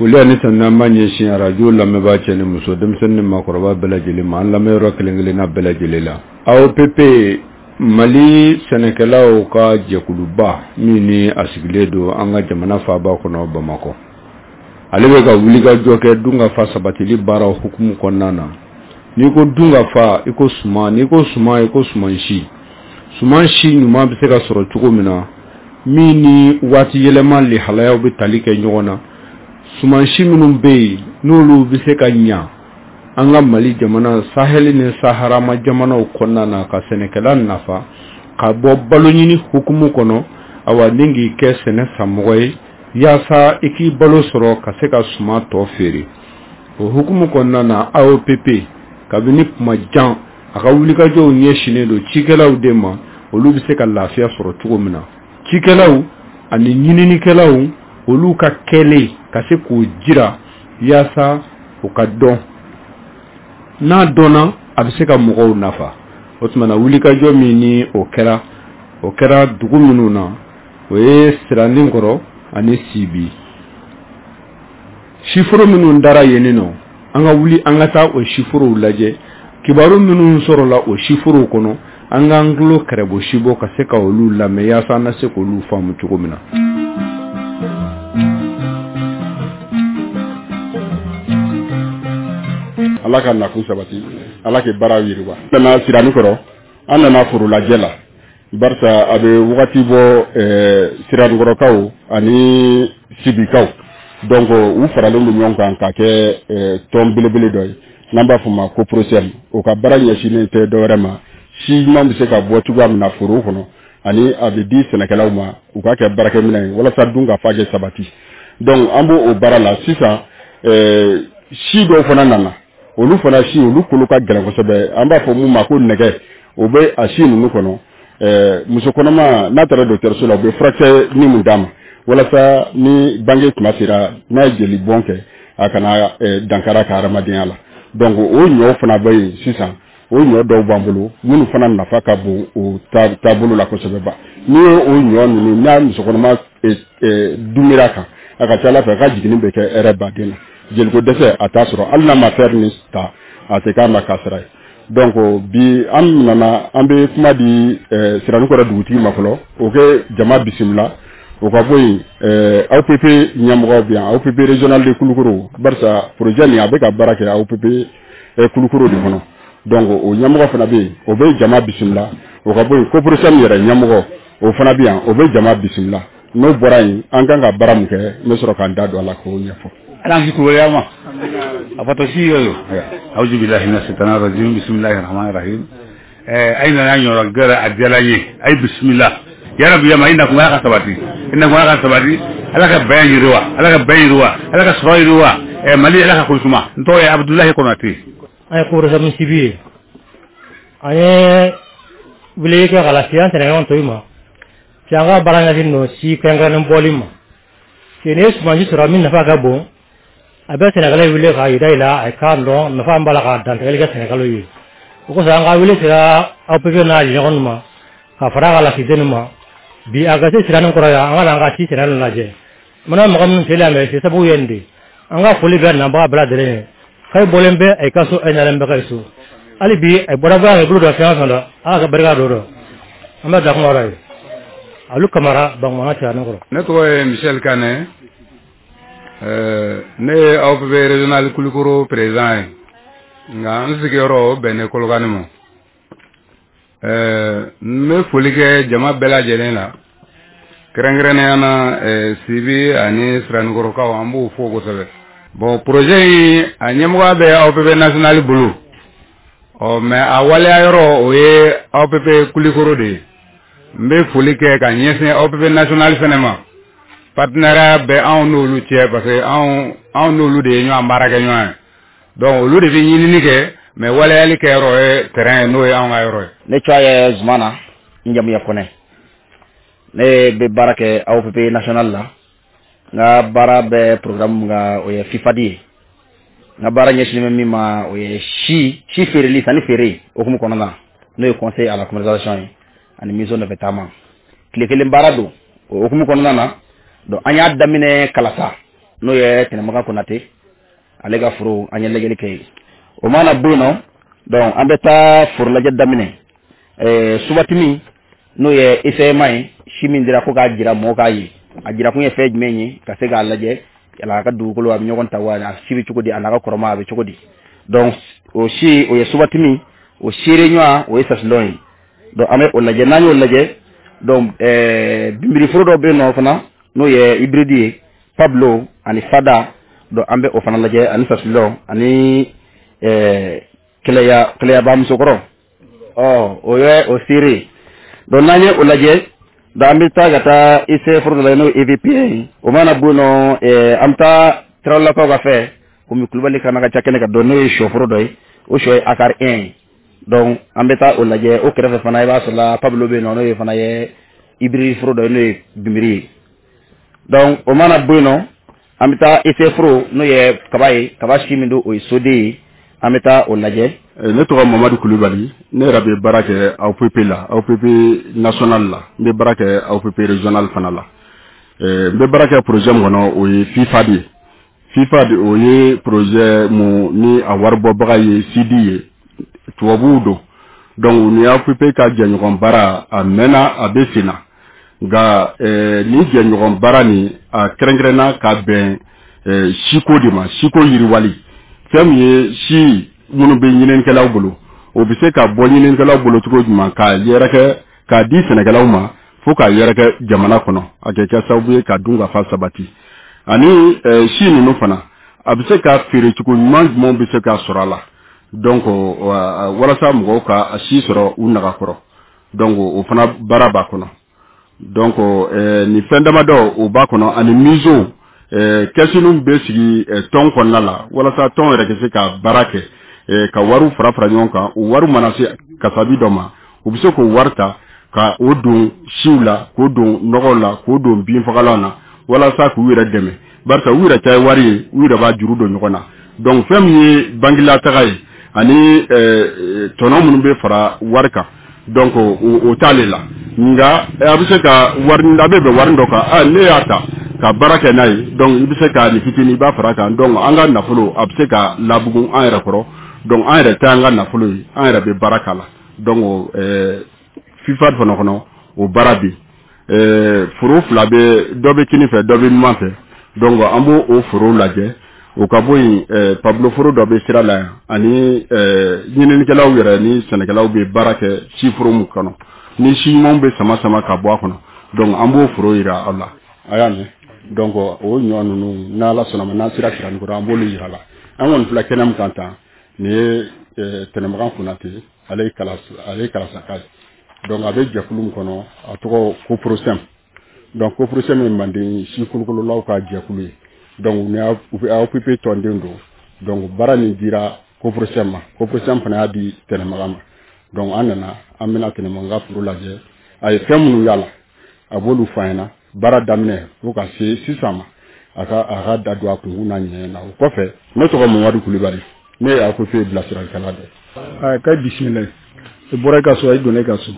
Foli ani tanuni an b'a ɲɛsin arajo lamɛnbaa cɛ ni muso, denmisɛnnin ni maakɔrɔba bɛɛ lajɛlen ma, an lamɛnyɔrɔ kelen kelenna bɛɛ lajɛlen la. AOPP, Mali sɛnɛkɛlaw ka jɛkuluba min ni a sigilen don an ka jamana faaba kɔnɔ Bamakɔ, ale bɛ ka wulikajɔ kɛ dunkafa sabatili baaraw hukumu kɔnɔna na. N'i ko dunkafa, i ko suman, n'i ko suman, i ko suman si. Suman si ɲuman bɛ se ka sɔrɔ cogo min na, min ni waati yɛlɛma lihalayaw bɛ tali kɛ ɲɔgɔn na, suman si minnu bɛ yen n'olu bɛ se ka ɲa an ka Mali jamana sahɛli ni saharama jamanaw kɔnɔna na, ka sɛnɛkɛla nafa ka bɔ baloɲini hukumu kɔnɔ, awa ni k'i kɛ sɛnɛ sanmɔgɔ ye yaasa i k'i balo sɔrɔ ka se ka suman tɔ feere. O hukumu kɔnɔna na, AOPP kabini kuma jan a ka wulikajɔw ɲɛsinnen don cikɛlaw de ma, olu bɛ se ka lafiya sɔrɔ cogo min na. Cikɛlaw ani ɲininikɛlaw, olu ka kɛlen ka se k'o jira yaasa o ka dɔn, n'a dɔnna a bɛ se ka mɔgɔw nafa. O tuma na, wulikajɔ min ni o kɛra, o kɛra dugu minnu na, o ye Siraninkɔrɔ ani Sibi. Siforo minnu dara yen nɔ, an ka wuli an ka taa o siforow lajɛ. Kibaru minnu sɔrɔla o siforow kɔnɔ, an k'an tulo kɛrɛbo sibɔ ka se ka olu lamɛn yaasa an na se k'olu faamu cogo min na. Ala ka nakun sabati, Ala ka baara yiriwa. An nana Siranikɔrɔ, an nana forolajɛ la, barisa a bɛ wagati bɔ, Siranikɔrɔkaw ani Sibikaw, donc u faralen don ɲɔgɔn kan ka kɛ tɔn belebele dɔ ye n'an b'a fɔ ma ko COPROSEM. O ka baara ɲɛsinnen tɛ dɔwɛrɛ ma, si ɲuman bɛ se ka bɔ cogoya min na foro kɔnɔ, ani a bɛ di sɛnɛkɛlaw ma u ka kɛ baarakɛminɛn ye walasa dun ka fa kɛ sabati. Donc an b'o o baara la sisan. Si dɔw fana nana, olu fana si, olu kolo ka gɛlɛn kosɛbɛ, an b'a fɔ mun ma ko nɛgɛ, o bɛ a si ninnu kɔnɔ. Muso kɔnɔma n'a taara dɔgɔtɔrɔso la, u bɛ furakisɛ ni mun d'a ma walasa ni bange tuma sera, n'a ye jeli bɔn kɛ, a kana dankara ka hadamadenya la. Donc o ɲɔ fana bɛ yen sisan, o ɲɔ dɔw b'an bolo minnu fana nafa ka bon o taabolo la kosɛbɛ ba. N'i ye o ɲɔ ninnu n'a muso kɔnɔma dumira kan, a ka ca Ala fɛ a ka jiginni bɛ kɛ hɛrɛ baden na, jeliko dɛsɛ a t'a sɔrɔ, hali n'a ma fer ni ta, a tɛ k'a ma kasara ye. Donc bi an nana, an bɛ kuma di Siranikɔrɔ dugutigi ma fɔlɔ, o kɛ jama bisimila. O ka bɔ yen, AOPP ɲɛmɔgɔ bɛ yan, AOPP régional de Kulukoro, barisa projet nin a bɛ ka baara kɛ AOPP Kulukoro de kɔnɔ. Donc o ɲɛmɔgɔ fana bɛ yen, o bɛ jama bisimila. O ka bɔ yen, COPROSEM yɛrɛ ɲɛmɔgɔ, o fana bɛ yan, o bɛ jama bisimila. N'o bɔra yen, an kan ka baara min kɛ, n bɛ sɔrɔ k'an da don a la k'o ɲɛfɔ. Ala kisi ma a fatɔ si yoyo. Auzu billahi minash shaitanir rajim, bismillahir rahmanir rahim. Ay nana ɲɔrɔ gɛrɛ, a diyara n ye. Ay bisimila yarabi yama, i nakun Ala ka sabati, i nakun Ala ka sabati, Ala ka bɛn yiriwa, Ala ka bɛn yiriwa, Ala ka sɔrɔ yiriwa. Mali, Ala ka kosuma. N tɔgɔ ye Abudulayi Konate. An ye COPROSEM Sibi ye, an ye wele kɛ ka lase an sɛnɛɲɔgɔn tɔw ma. Ci an ka baara ɲɛsin don si kɛrɛnkɛrɛnnen bɔli ma. N'i ye sumansi sɔrɔ min nafa ka bon, a bɛ sɛnɛkɛla wele k'a yira i la, a k'a dɔn nafa b'a la, k'a dantigɛli kɛ sɛnɛkɛlaw ye. O kosɔn an ka wele sera AOPP n'a ɲɔgɔn ma ka fara a ka lasigiden ma. Bi a ka se Sirani kɔrɔ yan, an ka na an ka si sɛnɛ lajɛ. Mana mɔgɔ minnu selen yan mɛ se sababu ye nin de. An ka foli bɛ nabaga bɛɛ lajɛlen ye. K'ayi bɔlen bɛ a ka so, a nalen bɛ ka so. Hali bi a bɔra bɔ a bolo dɔ fɛn o fɛn la, Ala ka barika don dɔ. An bɛ dakun yɔrɔ ye Alu Kamara, Bankumana, Sirani kɔrɔ. Ne tɔgɔ ye Michel Kane, ne ye AOPP régional Kulukoro président ye, nka n sigiyɔrɔ o bɛnnen Kolokani ma. N bɛ foli kɛ jama bɛɛ lajɛlen la, kɛrɛnkɛrɛnnenya na Sibi ani Siranikɔrɔkaw, an b'u fo kosɛbɛ. Bon, projet in a ɲɛmɔgɔya bɛ AOPP national bolo ɔ, mais a waleya yɔrɔ o ye AOPP Kulikoro de ye. N bɛ foli kɛ ka ɲɛsin AOPP national fɛnɛ ma. Partenariat bɛ anw n'olu cɛ, parce que anw n'olu de ye ɲɔgɔn baara kɛ ɲɔgɔn ye. Donc olu de bɛ ɲinini kɛ, mais waleyali kɛ yɔrɔ ye terrain ye, n'o ye anw ka yɔrɔ ye. Ne tɔgɔ ye Zumana, n jamu ye Kɔnɛ. Ne bɛ baara kɛ AOPP national la. N ka baara bɛ programme min kan, o ye FIFAD ye. N ka baara ɲɛsinnen bɛ min ma, o ye si feereli, sanni feere hukumu kɔnɔna na, n'o ye conseil à la commercialisation ye ani mission nɔfɛ taama. Tile kelen baara don o hukumu kɔnɔna na. Donc an y'a daminɛ Kalasa. N'o ye Tɛnɛmagan Konate, ale ka foro, an ye lajɛli kɛ yen. O mana bɔ yen nɔ, donc an bɛ taa foro lajɛ daminɛ. Subatimi, n'o ye ECMA ye, si min dira ko k'a jira mɔgɔw k'a ye, a jira kun ye fɛn jumɛn ye, ka se k'a lajɛ yala a ka dugukolo a bɛ ɲɔgɔn ta wa, a si bɛ cogo di, a n'a ka kɔrɔma a bɛ cogo di. Donc o si, o ye subatimi, o seere ɲɔgɔn, o ye sasilɔn ye. Donc an bɛ o lajɛ. N'an y'o lajɛ, donc binbiriforo dɔ bɛ yen nɔ fana, n'o ye hybride ye, Pablo ani Fada. Donc an bɛ o fana lajɛ, ani sasilɔn ani kɛlɛya kɛlɛyaba musokɔrɔ, ɔ o ye o seere. Donc n'an ye o lajɛ, donc an bɛ taa ka taa IC foro dɔ lajɛ, n'o ye EVP ye. O mana bɔ yen nɔ, an bɛ taa Tarawelelakaw ka fɛ, komi Kulubali kana ka ca kɛnɛ kan dɔn, n'o ye sɔforo dɔ ye, o sɔ ye ACAR 1 ye. Donc an bɛ taa o lajɛ. O kɛrɛfɛ fana, i b'a sɔrɔ la Pablo bɛ yen nɔ, n'o ye fana ye hybride foro dɔ ye, n'o ye binbiri ye. Donc o mana bɔ yen nɔ, an bɛ taa IC foro, n'o ye kaba ye, kaba si min don, o ye soden ye, an bɛ taa o lajɛ. Ne tɔgɔ Mamadu Kulubali. Ne yɛrɛ bɛ baara kɛ AOPP la, AOPP national la. N bɛ baara kɛ AOPP régional fana la. N bɛ baara kɛ projet min kɔnɔ, o ye FIFAD ye. FIFAD, o ye projet mun ni a waribɔbaga ye CD ye, tubabuw don. Donc u ni AOPP ka jɛɲɔgɔn baara, a mɛnna, a bɛ sen na. Nka nin jɛɲɔgɔn baara nin, a kɛrɛnkɛrɛnna ka bɛn siko de ma, siko yiriwali. Fɛn min ye si minnu bɛ ɲininikɛlaw bolo, o bɛ se ka bɔ ɲininikɛlaw bolo cogo jumɛn k'a yɛrɛkɛ k'a di sɛnɛkɛlaw ma, fo k'a yɛrɛkɛ jamana kɔnɔ, a kɛ kɛ sababu ye ka dun ka fa sabati. Ani si ninnu fana, a bɛ se ka feere cogo ɲuman jumɛnw bɛ se ka sɔrɔ a la, donc walasa mɔgɔw ka a si sɔrɔ u naga kɔrɔ. Donc o fana baara b'a kɔnɔ. Donc nin fɛn damadɔ, o b'a kɔnɔ, ani miso kɛsiniw bɛ sigi tɔn kɔnɔna la, walasa tɔn yɛrɛ ka se ka baara kɛ, ka wariw fara fara ɲɔgɔn kan. O wari mana se kasabi dɔ ma, u bɛ se k'o wari ta ka o don siw la, k'o don nɔgɔw la, k'o don binfagalan na, walasa k'u yɛrɛ dɛmɛ, barisa u yɛrɛ ta ye wari ye, u yɛrɛ b'a juru don ɲɔgɔn na. Donc fɛn min ye bangilataga ye ani tɔnɔ minnu bɛ fara wari kan, donc o t'ale la. Nka a bɛ se ka wari, a bɛ bɛn wari dɔ kan, ne y'a ta ka baara kɛ n'a ye, donc i bɛ se ka nin fitinin i b'a fara a kan. Donc an ka nafolo, a bɛ se ka labugun an yɛrɛ kɔrɔ. Donc an yɛrɛ ta an ka nafolo ye, an yɛrɛ bɛ baara k'a la. Donc FIFAD fana kɔnɔ, o baara bɛ yen. Foro fila bɛ, dɔ bɛ kini fɛ, dɔ bɛ numan fɛ. Donc an b'o o foro lajɛ. O ka bɔ yen, Pablo foro dɔ bɛ sira la yan, ani ɲininikɛlaw yɛrɛ ni sɛnɛkɛlaw bɛ baara kɛ si foro min kɔnɔ, ni si ɲumanw bɛ sama sama ka bɔ a kɔnɔ. Donc an b'o foro yira aw la, a y'a mɛn. Donc o ɲɔ ninnu, n'Ala sɔnna ma, n'an sera Siranikɔrɔ, an b'olu yira la. An kɔni filɛ kɛnɛ min kan tan, nin ye Tɛnɛmagan Konate, ale ye kalasaka ye. Donc a bɛ jɛkulu min kɔnɔ, a tɔgɔ Coprosem. Donc Coprosem ye manden si kolokololaw ka jɛkulu ye. Donc u AOPP tɔnden don. Donc baara nin dira Coprosem ma, Coprosem fana y'a di Tɛnɛmagan ma. Donc an nana, an bɛna Tɛnɛmagan ka foro lajɛ, a ye fɛn minnu y'a la, a b'olu fɔ an ɲɛna, baara daminɛ fo ka se sisan ma, a ka da don a kunkun n'a ɲɛ na. O kɔfɛ, ne tɔgɔ Mamadu Kulubali, ne ye AOPP bilasiralikɛla dɔ ye. K'a bisimila, i bɔra i ka so, i donna i ka so,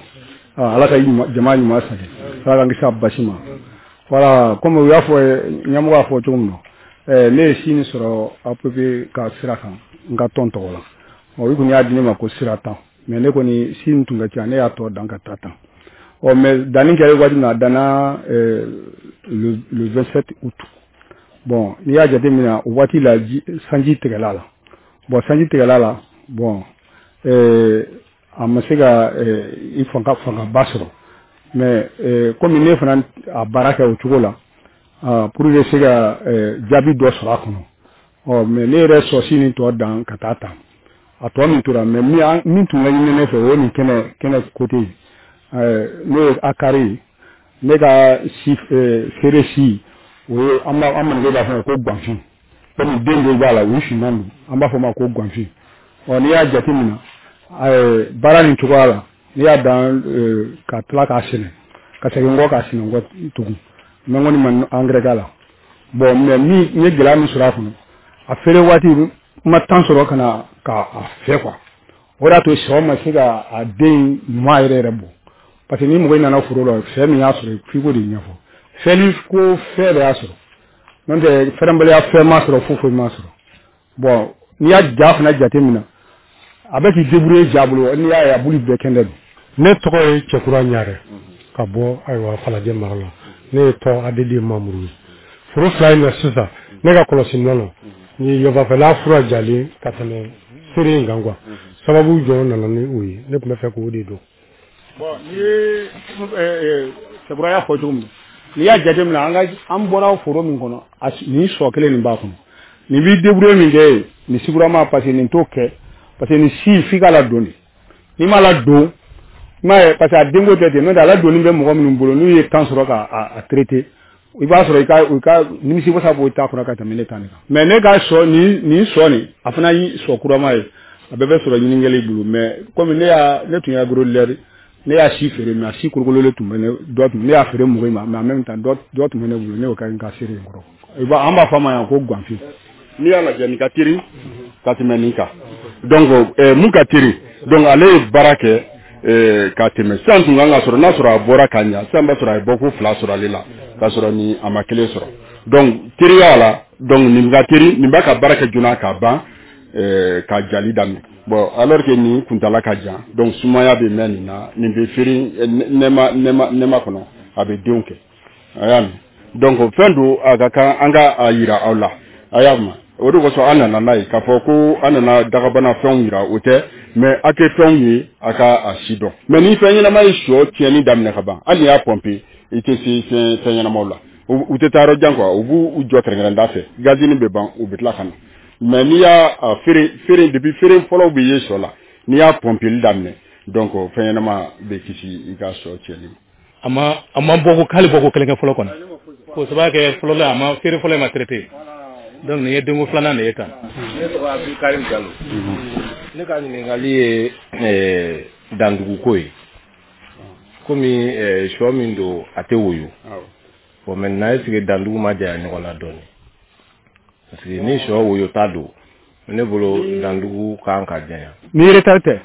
Ala ka jama ɲuman sagi, Ala k'an kisi a basi ma. Voilà, comme u y'a fɔ, ɲɛmɔgɔ y'a fɔ cogo min na, ne ye si nin sɔrɔ AOPP ka sira kan, n ka tɔn tɔgɔ la. Ɔ, i kɔni y'a di ne ma ko sira tan, mais ne kɔni si nin tun ka ca, ne y'a tɔ dan ka taa tan. Ɔ, mais danni kɛra waati min na, a danna le 27 août. Bon, n'i y'a jateminɛ, o waati la sanji tigɛla la. Bon, sanji tigɛla la, bon, a ma se ka i fangaba sɔrɔ. Mais komi ne fana a baara kɛ o cogo la, pour que se ka jaabi dɔ sɔrɔ a kɔnɔ. Ɔ, mais ne yɛrɛ sɔsi nin tɔ dan ka taa tan, a tɔ min tora, mais min tun ka ɲini ne fɛ, o ye nin kɛnɛ côté ye, n'o ye akari ye. Ne ka si feere si, o ye an b'a an maninkaw b'a fɔ ko ganfin, komi den dɔw b'a la, u finman don, an b'a fɔ o ma ko ganfin. Ɔ, n'i y'a jateminɛ baara nin cogoya la, n'i y'a dan ka tila k'a sɛnɛ, ka segin kɔ k'a sɛnɛ kɔ tugun, mais n kɔni ma engrais k'a la. Bon, mais min n ye gɛlɛya min sɔrɔ a kɔnɔ, a feere waati n ma temps sɔrɔ ka na k'a fɛ quoi. O de y'a to sɔ ma se ka a den ɲuman yɛrɛ yɛrɛ bɔ, parce que ni mɔgɔ nana foro la, fɛn min y'a sɔrɔ, f'i k'o de ɲɛfɔ. Fɛnni ko fɛn de y'a sɔrɔ. N'o tɛ fɛrɛnbaliya fɛn ma sɔrɔ, foyi foyi ma sɔrɔ. Bon, n'i y'a ja fana jate minɛ, a bɛ k'i débrouiller ja bolo. N'i y'a ye, a bulu bɛɛ kɛnɛ don. Ne tɔgɔ ye Cɛkura Ɲarɛ, ka bɔ ayiwa Falajɛ mara la. Ne ye tɔn ADD membre ye. Foro fila in na sisan, ne ka kɔlɔsi nɔ na, ni yɔfafɛla fura jalen ka tɛmɛ seere in kan quoi. Sababu jɔn nana ni o ye? Ne tun bɛ fɛ k'o de dɔn. Bon, n'i ye Cɛkura y'a fɔ cogo min, n'i y'a jateminɛ, an ka an bɔra foro min kɔnɔ, nin sɔ kelen nin b'a kɔnɔ, nin b'i débrouiller min kɛ yen, nin sigurama, parce que nin t'o kɛ, parce que nin si f'i k'a ladon de. N'i m'a ladon, i m'a ye, parce que a denko tɛ ten. N'o tɛ, a ladonni bɛ mɔgɔ minnu bolo, n'u ye temps sɔrɔ ka a traiter, i b'a sɔrɔ i ka nimisi wasa b'o ta kɔnɔ ka tɛmɛ ne ta nin kan. Mais ne ka sɔ nin sɔ nin, a fana ye sɔ kurama ye, a bɛɛ bɛ sɔrɔ ɲininkɛli bolo. Mais komi ne tun ye agro-leader, ne y'a si feere, mais a si kolokololen tun bɛ ne dɔ tun, ne y'a feere mɔgɔ ma. Mais en même temps, dɔ tun bɛ ne bolo, ne y'o kɛ n ka seere in kɔrɔ. I b'a, an b'a fɔ a ma yan ko ganfin. N'i y'a lajɛ, nin ka teri ka tɛmɛ nin kan. Donc mun ka teri? Donc ale ye baara kɛ ka tɛmɛ. Sisan tun kan ka sɔrɔ, n'a sɔrɔ a bɔra ka ɲa sisan, b'a sɔrɔ a ye bɔko fila sɔrɔ ale la, k'a sɔrɔ ni a ma kelen sɔrɔ. Donc teriya la, donc nin ka teri, nin b'a ka baara kɛ joona k'a ban, ka jali daminɛ. Bon, alors que nin kuntala ka jan, donc sumaya bɛ mɛn nin na. Nin bɛ feere nɛma nɛma nɛma kɔnɔ, a bɛ denw kɛ, a y'a mɛn. Donc fɛn don, a ka kan an ka a yira aw la, a y'a mɛn. O de kosɔn an nana n'a ye, k'a fɔ ko an nana dagabana fɛnw yira, o tɛ, mais a kɛ fɛnw ye, a ka a si dɔn. Mais ni fɛn ɲɛnama ye sɔ tiɲɛni daminɛ ka ban, hali n'i y'a pɔnpe, i tɛ se fɛn ɲɛnamaw la. U tɛ taa yɔrɔ jan quoi, u b'u jɔ kɛrɛnkɛrɛnda fɛ, gazini bɛ ban, u bɛ tila ka na. Mais n'i y'a feere feere, depuis feere fɔlɔw bɛ ye sɔ la, n'i y'a pɔnpeli daminɛ, donc fɛn ɲɛnama bɛ kisi i ka sɔ tiɲɛni ma. A ma bɔ ko k'ale bɔ ko kelen kɛ fɔlɔ kɔni, k'o sababu kɛ fɔlɔ la, a ma feere fɔlɔ in ma traité. Donc nin ye denko filanan de ye tan. Ne tɔgɔ Abdulkarim Jalo. Ne ka ɲininkali ye danduguko ye. Komi sɔ min don, a tɛ woyo. Bon, maintenant, est ce que dandugu ma janya ɲɔgɔn na dɔɔni? Parce que ni sɔ woyo ta don, ne bolo dandugu kan ka janya. Ni retard tɛ,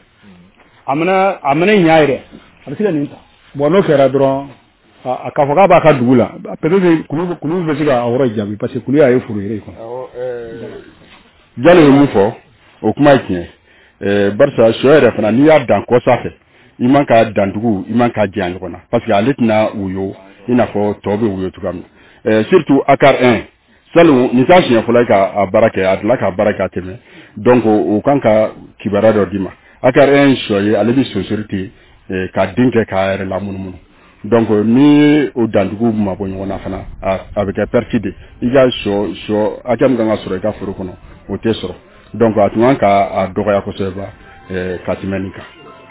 a mana ɲa yɛrɛ, a bɛ se ka nin ta. Bon, n'o kɛra dɔrɔn, a k'a fɔ k'a b'a ka dugu la, peut-être kulu bɛ se ka a yɔrɔ jaabi, parce que kulu y'a ye foro yɛrɛ kɔnɔ. Jalo ye mun fɔ, o kuma ye tiɲɛ ye, barisa sɔ yɛrɛ fana, n'i y'a dan kɔsa fɛ, i man ka dandugu, i man ka janya ɲɔgɔn na, parce que ale tɛna woyo i n'a fɔ tɔ bɛ woyo cogoya min na, surtout ACAR 1. Salon nin t'a siɲɛ fɔlɔ ye ka a baara kɛ, a delila ka baara kɛ a tɛmɛ. Donc o kan ka kibaruya dɔ d'i ma. ACAR 1 sɔ ye, ale bɛ sonsori ten ka den kɛ k'a yɛrɛ lamunumunu. Donc ni o dandugu mabɔ ɲɔgɔn na fana, a bɛ kɛ perte de. I ka sɔ hakɛ min kan ka sɔrɔ i ka foro kɔnɔ, o tɛ sɔrɔ. Donc a tun kan ka a dɔgɔya kosɛbɛ ka tɛmɛ nin kan.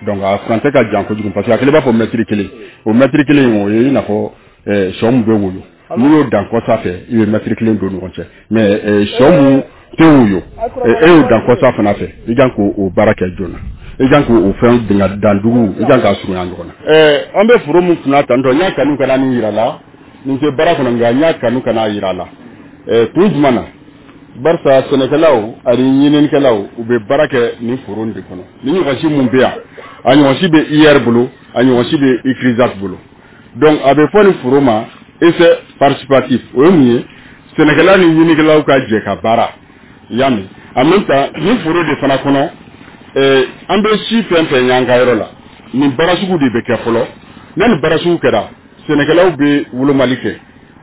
Donc a furancɛ ka jan kojugu, parce que a kelen b'a fɔ mɛtiri kelen. O mɛtiri kelen, o ye i n'a fɔ sɔ mun bɛ woyo, n'i y'o dan kɔsa fɛ, i bɛ mɛtiri kelen don ɲɔgɔn cɛ. Mais sɔ mun tɛ woyo, e y'o dan kɔsa fana fɛ, i kan k'o baara kɛ joona, i kan k'o fɛn dingɛ dandugu, i kan k'a surunya ɲɔgɔn na. An bɛ foro min kunna tantɔ, n y'a kanu ka na nin yira la. Nin tɛ baara kɔnɔ, nka n y'a kanu ka n'a yira la. Kun jumɛn na? Barisa sɛnɛkɛlaw ani ɲininikɛlaw, u bɛ baara kɛ nin foro in de kɔnɔ. Ni ɲɔgɔnsi mun bɛ yan, a ɲɔgɔnsi bɛ IR bolo, a ɲɔgɔnsi bɛ ICRISAT bolo. Donc a bɛ fɔ nin foro ma essai participatif. O ye mun ye? Sɛnɛkɛla ni ɲininikɛlaw ka jɛ ka baara, i y'a mɛn. En même temps, nin foro de fana kɔnɔ, an bɛ si fɛn fɛn y'an ka yɔrɔ la, nin baara sugu de bɛ kɛ fɔlɔ. N'a nin baara sugu kɛra, sɛnɛkɛlaw bɛ wolomali kɛ.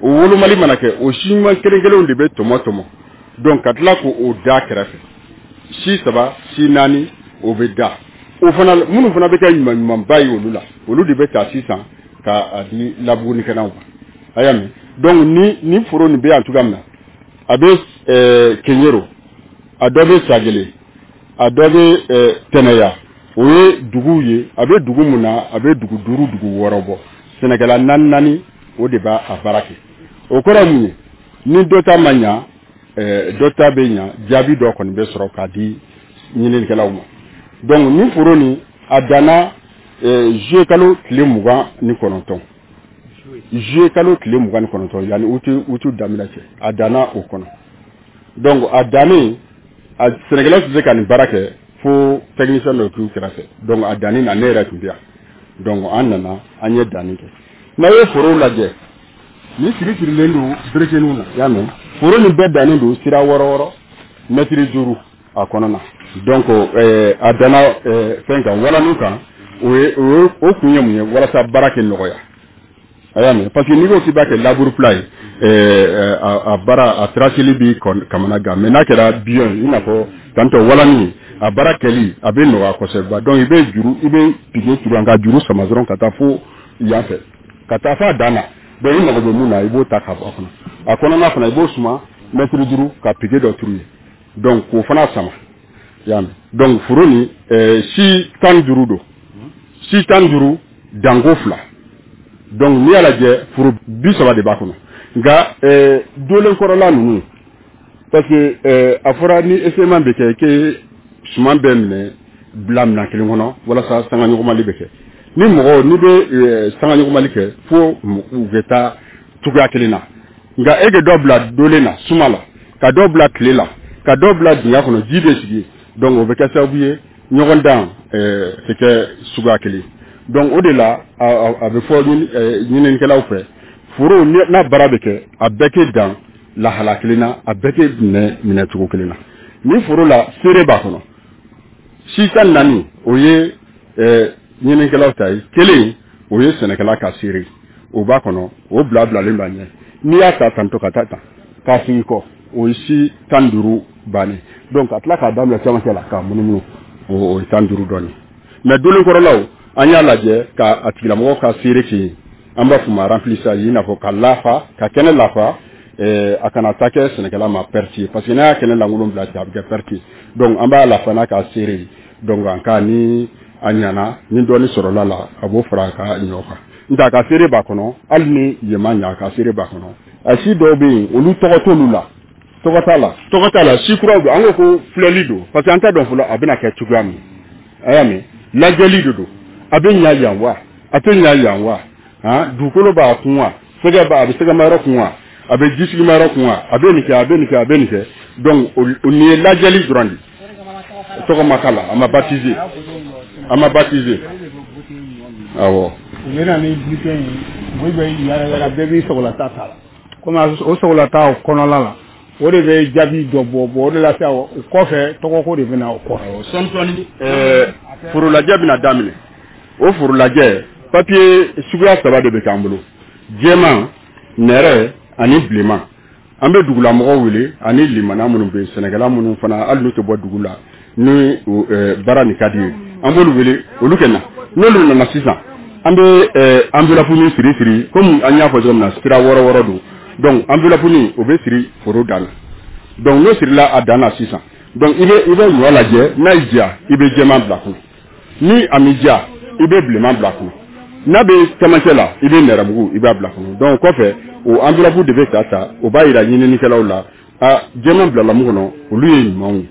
O wolomali mana kɛ, o si ɲuman kelen kelenw de bɛ tɔmɔ tɔmɔ, donc ka tila k'o da kɛrɛfɛ, si saba, si naani, o bɛ da. O fana minnu fana bɛ kɛ ɲuman ɲumanba ye, olu la, olu de bɛ ta sisan ka a di labugunikɛlaw ma, a y'a mɛn. Donc ni foro nin bɛ yan cogoya min na, a bɛ Keɲero, a dɔ bɛ Sagele, a dɔ bɛ Tɛnɛya. O ye duguw ye. A bɛ dugu mun na, a bɛ dugu duuru, dugu wɔɔrɔ bɔ. Sɛnɛkɛla naani naani, o de b'a a baara kɛ. O kɔrɔ ye mun ye? Ni dɔ ta ma ɲa, dɔ ta bɛ ɲa, jaabi dɔ kɔni bɛ sɔrɔ k'a di ɲininikɛlaw ma. Donc nin foro nin, a danna juillet kalo tile 29, juillet kalo tile 29, yanni août daminɛ cɛ, a danna o kɔnɔ. Donc a dannen, a sɛnɛkɛlaw tɛ se ka nin baara kɛ fo technicien dɔ k'u kɛrɛfɛ. Donc a danni na, ne yɛrɛ tun bɛ yan. Donc an nana, an ye danni kɛ. N'a ye forow lajɛ, Ni siri sirilen don berekeninw na, y'a mɛn. Foro nin bɛɛ dannen don sira 6 6, mɛtiri 5 a kɔnɔ na. Donc a danna fɛn kan, walanu kan. O ye o kun ye mun ye? Walasa baara kɛ nɔgɔya, a y'a mɛn. Parce que n'i ko k'i b'a kɛ labour plat ye, a baara a traceli b'i kamana gan. Mais n'a kɛra billon ye, i n'a fɔ tantɔ walani, a baara kɛli a bɛ nɔgɔya kosɛbɛ. Donc i bɛ juru, i bɛ piquet turu ka juru sama dɔrɔn ka taa fo yan fɛ, ka taa fo a dan na. Donc i mago bɛ mun na, i b'o ta ka bɔ a kɔnɔ. A kɔnɔna fana, i b'o suma mɛtiri 5 ka piquet dɔ turu yen, donc k'o fana sama, y'a mɛn. Donc foro nin si 15 don, si 15 danko 2. Donc n'i y'a lajɛ, foro 30 de b'a kɔnɔ. Nka dolen kɔrɔla ninnu, parce que a fɔra ni essaiment bɛ kɛ k'e suman bɛɛ minɛ bila minɛn kelen kɔnɔ walasa sangaɲɔgɔnmali bɛ kɛ. Ni mɔgɔ n'i bɛ sangaɲɔgɔnmali kɛ, fo u bɛ taa cogoya kelen na. Nka e ka dɔ bila dolen na suma la, ka dɔ bila tile la, ka dɔ bila dingɛ kɔnɔ, ji bɛ sigi. Donc o bɛ kɛ sababu ye ɲɔgɔn dan tɛ kɛ suguya kelen. Donc o de la a bɛ fɔ ɲininikɛlaw fɛ, foro n'a baara bɛ kɛ, a bɛɛ kɛ dan lahala kelen na, a bɛɛ kɛ minɛ cogo kelen na. Ni foro la seere b'a kɔnɔ, si 14 o ye ɲininikɛlaw ta ye, kelen o ye sɛnɛkɛla ka seere, o b'a kɔnɔ, o bila bilalen b'a ɲɛ. N'i y'a ta tantɔ ka taa tan k'a sigi kɔ, o ye si 15 bannen. Donc ka tila k'a daminɛ cɛmancɛ la k'a munumunu, o ye 15 dɔɔnin. Mais dolenkɔrɔlaw, an y'a lajɛ ka a tigilamɔgɔ ka seere kɛ yen, an b'a f'o ma remplissage, i n'a fɔ ka lafa, ka kɛnɛ lafa, a kana taa kɛ sɛnɛkɛla ma perte ye, parce que n'a y'a kɛnɛ lankolon bila ten, a bɛ kɛ perte ye. Donc an b'a lafa n'a ka seere ye. Donc en cas ni a ɲana, ni dɔɔni sɔrɔla la, a b'o fara a ka ɲɔ kan. N tɛ a ka seere b'a kɔnɔ, hali ni yen ma ɲa, a ka seere b'a kɔnɔ. A si dɔw bɛ yen, olu tɔgɔ t'olu la, tɔgɔ t'a la, tɔgɔ t'a la. Si kuraw don, an ko ko filɛli don, parce que an t'a dɔn fɔlɔ a bɛna kɛ cogoya min. A y'a mɛn, lajɛli de don, a bɛ ɲa yan wa, a tɛ ɲa yan wa, han, dugukolo b'a kun wa, sɛgɛ b'a, a bɛ sɛgɛmayɔrɔ kun wa, a bɛ jisigimayɔrɔ kun wa, a bɛ nin kɛ, a bɛ nin kɛ, a bɛ nin kɛ. Donc o nin ye lajɛli dɔrɔn de ye, tɔgɔ ma k'a la, a ma baptiser, a ma baptiser. Awɔ. U bɛ na ni bulletin ye, u bɛ yala yala, bɛɛ b'i sɔgɔlata ta la. Komi o sɔgɔlata o kɔnɔla la, o de bɛ jaabi dɔ bɔ, o de la sisan o kɔfɛ tɔgɔko de bɛ na o kɔfɛ. Sɔɔni sɔɔni forolajɛ bɛna daminɛ. O forolajɛ papier suguya 3 de bɛ k'an bolo: jɛman, nɛrɛ ani bilenman. An bɛ dugulamɔgɔw wele ani limana minnu bɛ yen, sɛnɛkɛla minnu fana hali n'u tɛ bɔ dugu la, ni baara nin ka di ye, an b'olu wele, olu kɛ na. N'olu nana sisan, an bɛ enveloppe min siri siri, komi an y'a fɔ cogo min na, sira 6 6 don. Donc enveloppe nin o bɛ siri foro dan na. Donc n'o sirila a dan na sisan, donc i bɛ ɲɔ lajɛ, n'a y'i diya i bɛ jɛman bila kɔnɔ, ni a m'i diya i bɛ bilenman bila kɔnɔ, n'a bɛ cɛmancɛ la i bɛ nɛrɛmugu i b'a bila kɔnɔ. Donc kɔfɛ o enveloppe de bɛ ta ta, o b'a yira ɲininikɛlaw la, a jɛman bilala mun kɔnɔ, olu ye ɲumanw ye,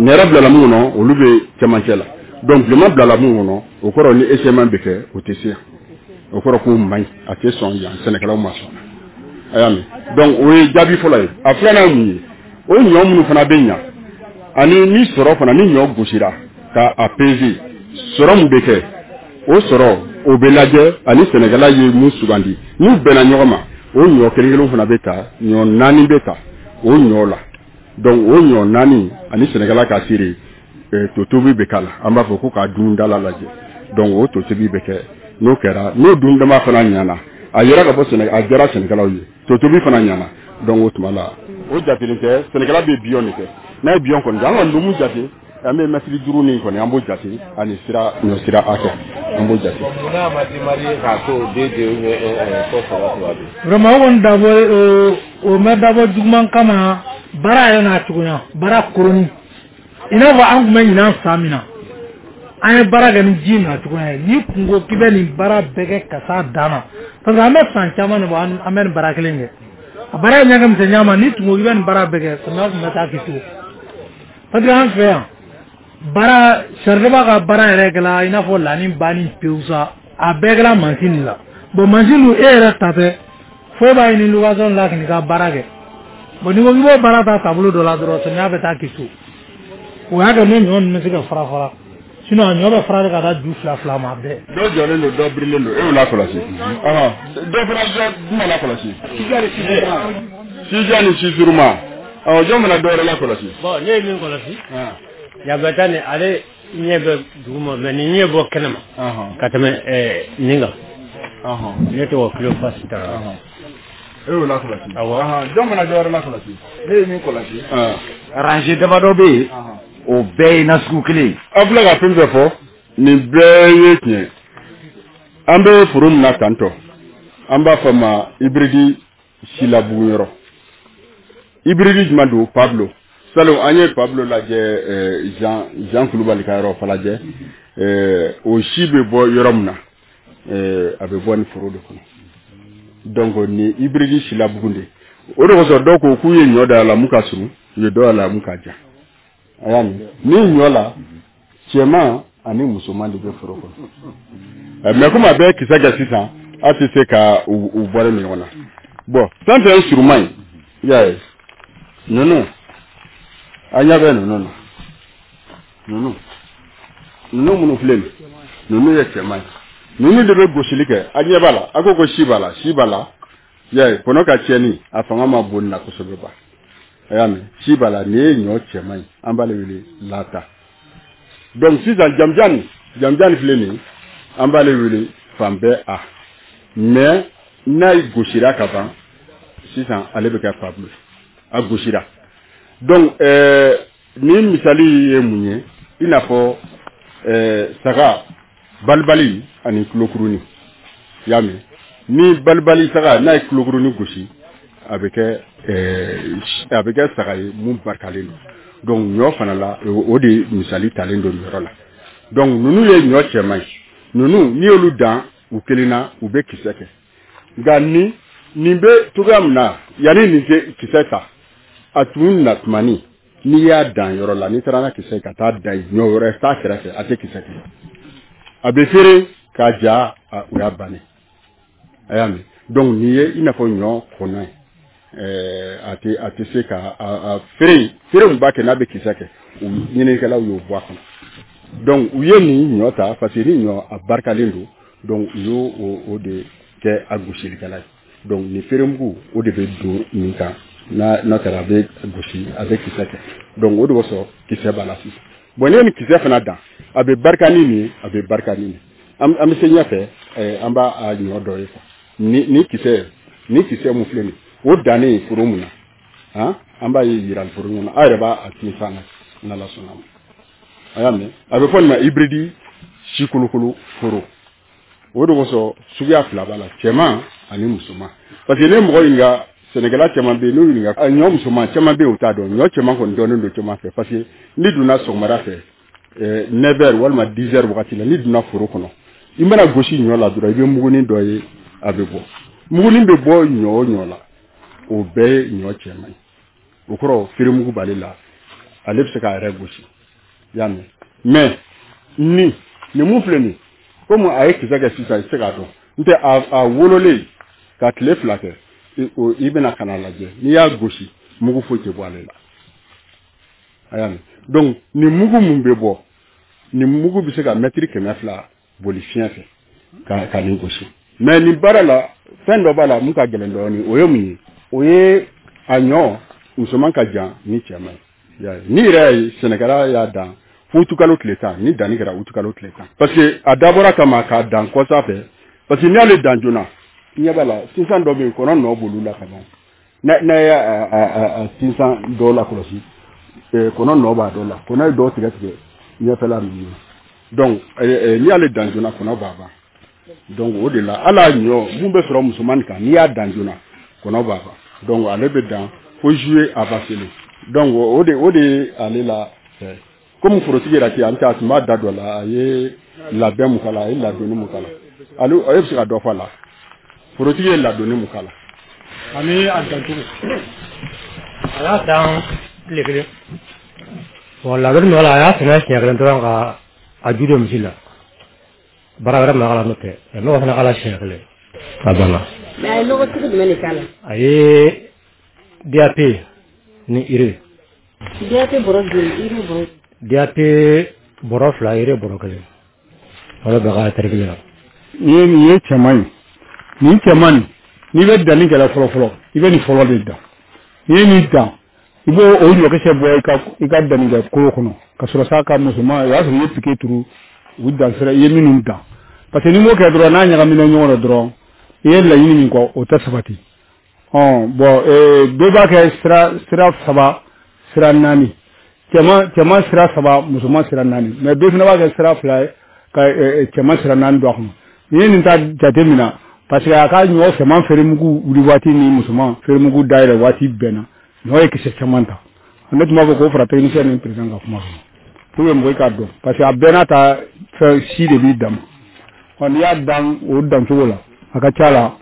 nɛrɛ bilala mun kɔnɔ, olu bɛ cɛmancɛ la. Donc bilenman bilala mun kɔnɔ, o kɔrɔ ni essaiment bɛ kɛ, o tɛ se yan, o kɔrɔ k'o man ɲi, a tɛ sɔn yan, sɛnɛkɛlaw ma sɔn. A y'a mɛn. Donc o ye jaabi fɔlɔ ye. A filanan ye mun ye? O ɲɔ minnu fana bɛ ɲa, ani ni sɔrɔ fana, ni ɲɔ gosira ka a peser, sɔrɔ mun bɛ kɛ, o sɔrɔ o bɛ lajɛ ani sɛnɛkɛla ye mun sugandi, n'u bɛnna ɲɔgɔn ma, o ɲɔ kelen kelen fana bɛ ta, ɲɔ 4 bɛ ta o ɲɔ la. Donc o ɲɔ 4 ani sɛnɛkɛla ka seere, totobi bɛ k'a la, an b'a fɔ ko k'a dundala lajɛ. Donc o totobi bɛ kɛ, n'o kɛra, n'o dundama fana ɲana, a yɛrɛ ka bɔ sɛnɛ, a diyara sɛnɛkɛlaw ye, totobi fana ɲana. Donc o tuma la o jatelen tɛ, sɛnɛkɛla bɛ billon de kɛ. N'a ye billon kɔni kɛ, an kɔni bɛ mun jate, an bɛ mɛtiri 5 nin kɔni, an b'o jate, ani sira ɲɔ sira hakɛ, an b'o jate. N'a ma démarrer k'a to 2 2 ou bien 1 1 fo 3 3 de. Vraiment o kɔni dabɔ o ma dabɔ juguman kama, baara yɛrɛ n'a cogoya, baara koroni. I n'a fɔ an tun bɛ ɲinan san min na, an ye baara kɛ ni ji na cogoya ye. N'i kun ko k'i bɛ nin baara bɛɛ kɛ ka s'a dan na, parce que an bɛ san caman de bɔ, an bɛ nin baara kelen kɛ. A baara ye ɲɛ kɛ misɛnya ma, n'i tun ko k'i bɛ nin baara bɛɛ kɛ, samiya tun bɛ taa k'i to. Parce que an fɛ yan, baara sariba ka baara yɛrɛ kɛla i n'a fɔ lani banni pewu sa, a bɛɛ kɛla mansin de la. Bon mansin dun e yɛrɛ ta tɛ, fo e b'a ɲini location la k'i ka baara kɛ. Bon n'i ko k'i b'o baara ta taabolo dɔ la dɔrɔn, samiya bɛ taa k'i to. O y'a kɛ ne ɲɔ ninnu bɛ se ka fara fara. Sinon a ɲɔ bɛ fara de ka taa ju fila fila ma bɛɛ. Dɔ jɔlen don, dɔ birilen don, e y'o lakɔlɔsi. Dɔ fana jumɛn lakɔlɔsi? Sijan ni sisuruma. Ɔ, jɔn fana dɔ wɛrɛ lakɔlɔsi? Bon, ne ye min kɔlɔsi, yabata ni ale ɲɛ bɛ duguma, mais nin ɲɛ bɔ kɛnɛma ka tɛmɛ nin kan. Ne tɔgɔ Cléophas Traoré. E y'o lakɔlɔsi? Awɔ. Jɔn fana dɔ wɛrɛ lakɔlɔsi? Ne ye min kɔlɔsi, rangée damadɔ bɛ yen, o bɛɛ ye nasugu kelen ye. Aw filɛ ka fɛn fɛn fɔ, nin bɛɛ ye tiɲɛ. An bɛ foro min na tantɔ, an b'a fɔ ma hybride silabugunyɔrɔ. Hybride jumɛn don? Pablo. Salon an ye Pablo lajɛ Jean Kulubali ka yɔrɔ Falajɛ. O si bɛ bɔ yɔrɔ min na, a bɛ bɔ nin foro de kɔnɔ. Donc nin hybride silabugun de. O de kosɔn dɔw ko k'u ye ɲɔ da a la mun ka surun, u ye dɔ a la mun ka jan. A y'a mɛn, ni ɲɔ la, cɛman ani musoman de bɛ foro kɔnɔ. Mais komi a bɛ kisɛ kɛ sisan, a tɛ se ka u bɔlen ɲɔgɔn na. Bon, fɛn fɛn ye suruman ye, i y'a ye, ninnu, an ɲɛ bɛ ninnu na. Ninnu minnu filɛ nin, ninnu ye cɛman ye. Ninnu de bɛ gosili kɛ, a ɲɛ b'a la, a ko si b'a la, si b'a la. I y'a ye, kɔnɔ ka tiɲɛni, a fanga ma bon nin na kosɛbɛ ba. A y'a mɛn, si b'a la, nin ye ɲɔ cɛman ye, an b'ale wele lata. Donc sisan jamjan filɛ nin ye, an b'ale wele fan bɛɛ a. Mais n'a gosira ka ban, sisan ale bɛ kɛ Pablo, a gosira. Donc nin misali ye mun ye? I n'a fɔ saga balibali ani tulokurunin. I y'a mɛn, ni balibali saga n'a ye tulokurunin gosi, a bɛ kɛ saga ye mun barikalen don. Donc ɲɔ fana la, o de misali talen don nin yɔrɔ la. Donc ninnu ye ɲɔ cɛman ye. Ninnu n'i y'olu dan u kelen na, u bɛ kisɛ kɛ. Nka nin bɛ cogoya min na, yanni nin tɛ kisɛ ta, a tun na tumani, n'i y'a dan yɔrɔ la, n'i taara n'a kisɛ ka taa dan ɲɔ wɛrɛ t'a kɛrɛfɛ, a tɛ kisɛ kɛ. A bɛ feere k'a ja, o y'a bannen. A y'a mɛn. Donc nin ye i n'a fɔ ɲɔ kɔnɔ ye. A tɛ se ka a feere mun b'a kɛ n'a bɛ kisɛ kɛ, u ɲininikɛlaw y'o bɔ a kɔnɔ. Donc u ye nin ɲɔ ta parce que ni ɲɔ a barikalen don, donc u y'o o de kɛ a gosilikɛla ye. Donc nin feeremugu o de bɛ don nin kan, n'a kɛra a bɛ gosi, a bɛ kisɛ kɛ. Donc o de kosɔn kisɛ b'a la sisan. Bon, n'i ye nin kisɛ fana dan, a bɛ barika ni nin ye, a bɛ barika ni nin ye. An bɛ se ɲɛfɛ, an b'a a ɲɔ dɔ ye quoi. Ni kisɛ mun filɛ nin ye, o dannen foro mun na, an b'a ye yirali foro kɔnɔ, a yɛrɛ b'a tinsan na, n'Ala sɔnna ma. A y'a mɛn, a bɛ fɔ nin ma hybride sikolokolo foro. O de kosɔn suguya fila b'a la, cɛman ani musoman. Parce que ne mɔgɔ ɲininka, sɛnɛkɛla caman bɛ yen, n'u ɲininka ɲɔ musoman caman bɛ yen, u t'a dɔn. Ɲɔ cɛman kɔni dɔnnen don caman fɛ, parce que n'i donna sɔgɔmada fɛ 9h walima 10h wagati la, n'i donna foro kɔnɔ, i mana gosi ɲɔ la dɔrɔn, i bɛ mugunin dɔ ye, a bɛ bɔ. Mugunin bɛ bɔ ɲɔ o ɲɔ la, o bɛɛ ye ɲɔ cɛman ye. O kɔrɔ feeremugu b'ale la, ale bɛ se k'a yɛrɛ gosi. I y'a mɛn. Mais nin mun filɛ nin, komi a ye kisɛ kɛ sisan, i tɛ se k'a dɔn. N tɛ a wololen ka tile fila kɛ, i bɛna ka na lajɛ, n'i y'a gosi, mugu foyi tɛ bɔ ale la. A y'a mɛn. Donc nin mugu mun bɛ bɔ, nin mugu bɛ se ka mɛtiri 200 boli fiɲɛ fɛ ka nin gosi. Mais nin baara la, fɛn dɔ b'a la mun ka gɛlɛn dɔɔnin, o ye mun ye? O ye a ɲɔ musoman ka jan ni cɛman ye. Ni yɛrɛ ye sɛnɛkɛla y'a dan utukalo tile 10, ni danni kɛra utukalo tile 10. Parce que a dabɔra kama k'a dan kɔsa fɛ, parce que n'i y'ale dan joona, ɲɛ b'a la, sinsan dɔ bɛ yen, kɔnɔ nɔ b'olu la ka ban. N'a y'a a sinsan dɔw la kɔlɔsi, kɔnɔ nɔ b'a dɔw la, kɔnɔ ye dɔw tigɛ tigɛ ɲɛfɛla ninnu na. Donc n'i y'ale dan joona, kɔnɔ b'a ban. Donc o de la, hali a ɲɔ mun bɛ sɔrɔ musoman kan, n'i y'a dan joona, kɔnɔ b'a ban. Donc ale bɛ dan fo juillet avancé. Donc o de ye ale la fɛ. Komi forotigi yɛrɛ tɛ, an tɛ a tun b'a da dɔ la, a ye labɛn mun k'a la, a ye ladonni mun k'a la, ale bɛ se ka dɔ fɔ a la. Forotigi ye ladonni mun k'a la. Ani a dancogo. A y'a dan tile kelen. Bon, ladonni min k'a la, a y'a sɛnɛ siɲɛ kelen dɔrɔn ka a ju don misi la. Baara wɛrɛ ma k'a la n'o tɛ. Nɔgɔ fana k'a la siɲɛ kelen. A banna. Mais a ye nɔgɔ sugu jumɛn de k'a la? A ye DAP ni urée. DAP bɔrɔ joli, urée bɔrɔ? DAP Bɔrɔ 2, urée bɔrɔ 1. O de bɛ ka hectare kelen na. Nin ye cɛman ye. Nin cɛman nin, n'i bɛ danni kɛla fɔlɔ fɔlɔ, i bɛ nin fɔlɔ de dan. N'i ye nin dan, i b'o o ɲɔkisɛ bɔ i ka dannikɛ kolo kɔnɔ ka sɔrɔ sa ka musoman, o y'a sɔrɔ i ye piquet turu u dan sira i ye minnu dan. Parce que n'i m'o kɛ dɔrɔn, n'a ɲagamina ɲɔgɔn na dɔrɔn, i ye laɲini min kɔ, o tɛ sabati. Bon, dɔ b'a kɛ sira 3, sira 4. Cɛman sira 3, musoman sira 4. Mais dɔ fana b'a kɛ sira 2 ye ka cɛman sira 4 don a kɔnɔ. N'i ye nin ta jate minɛ, parce que a ka ɲɔ cɛman feeremugu wuli waati ni musoman feeremugu dayɛlɛ waati bɛnna, ɲɔ ye kisɛ caman ta. Ne tun b'a fɔ k'o fara technicien ni président ka kuma kɔnɔ pour que mɔgɔ k'a dɔn, parce que a bɛɛ n'a ta fɛn si de b'i dan ma. N'i y'a dan o dancogo la, a ka ca la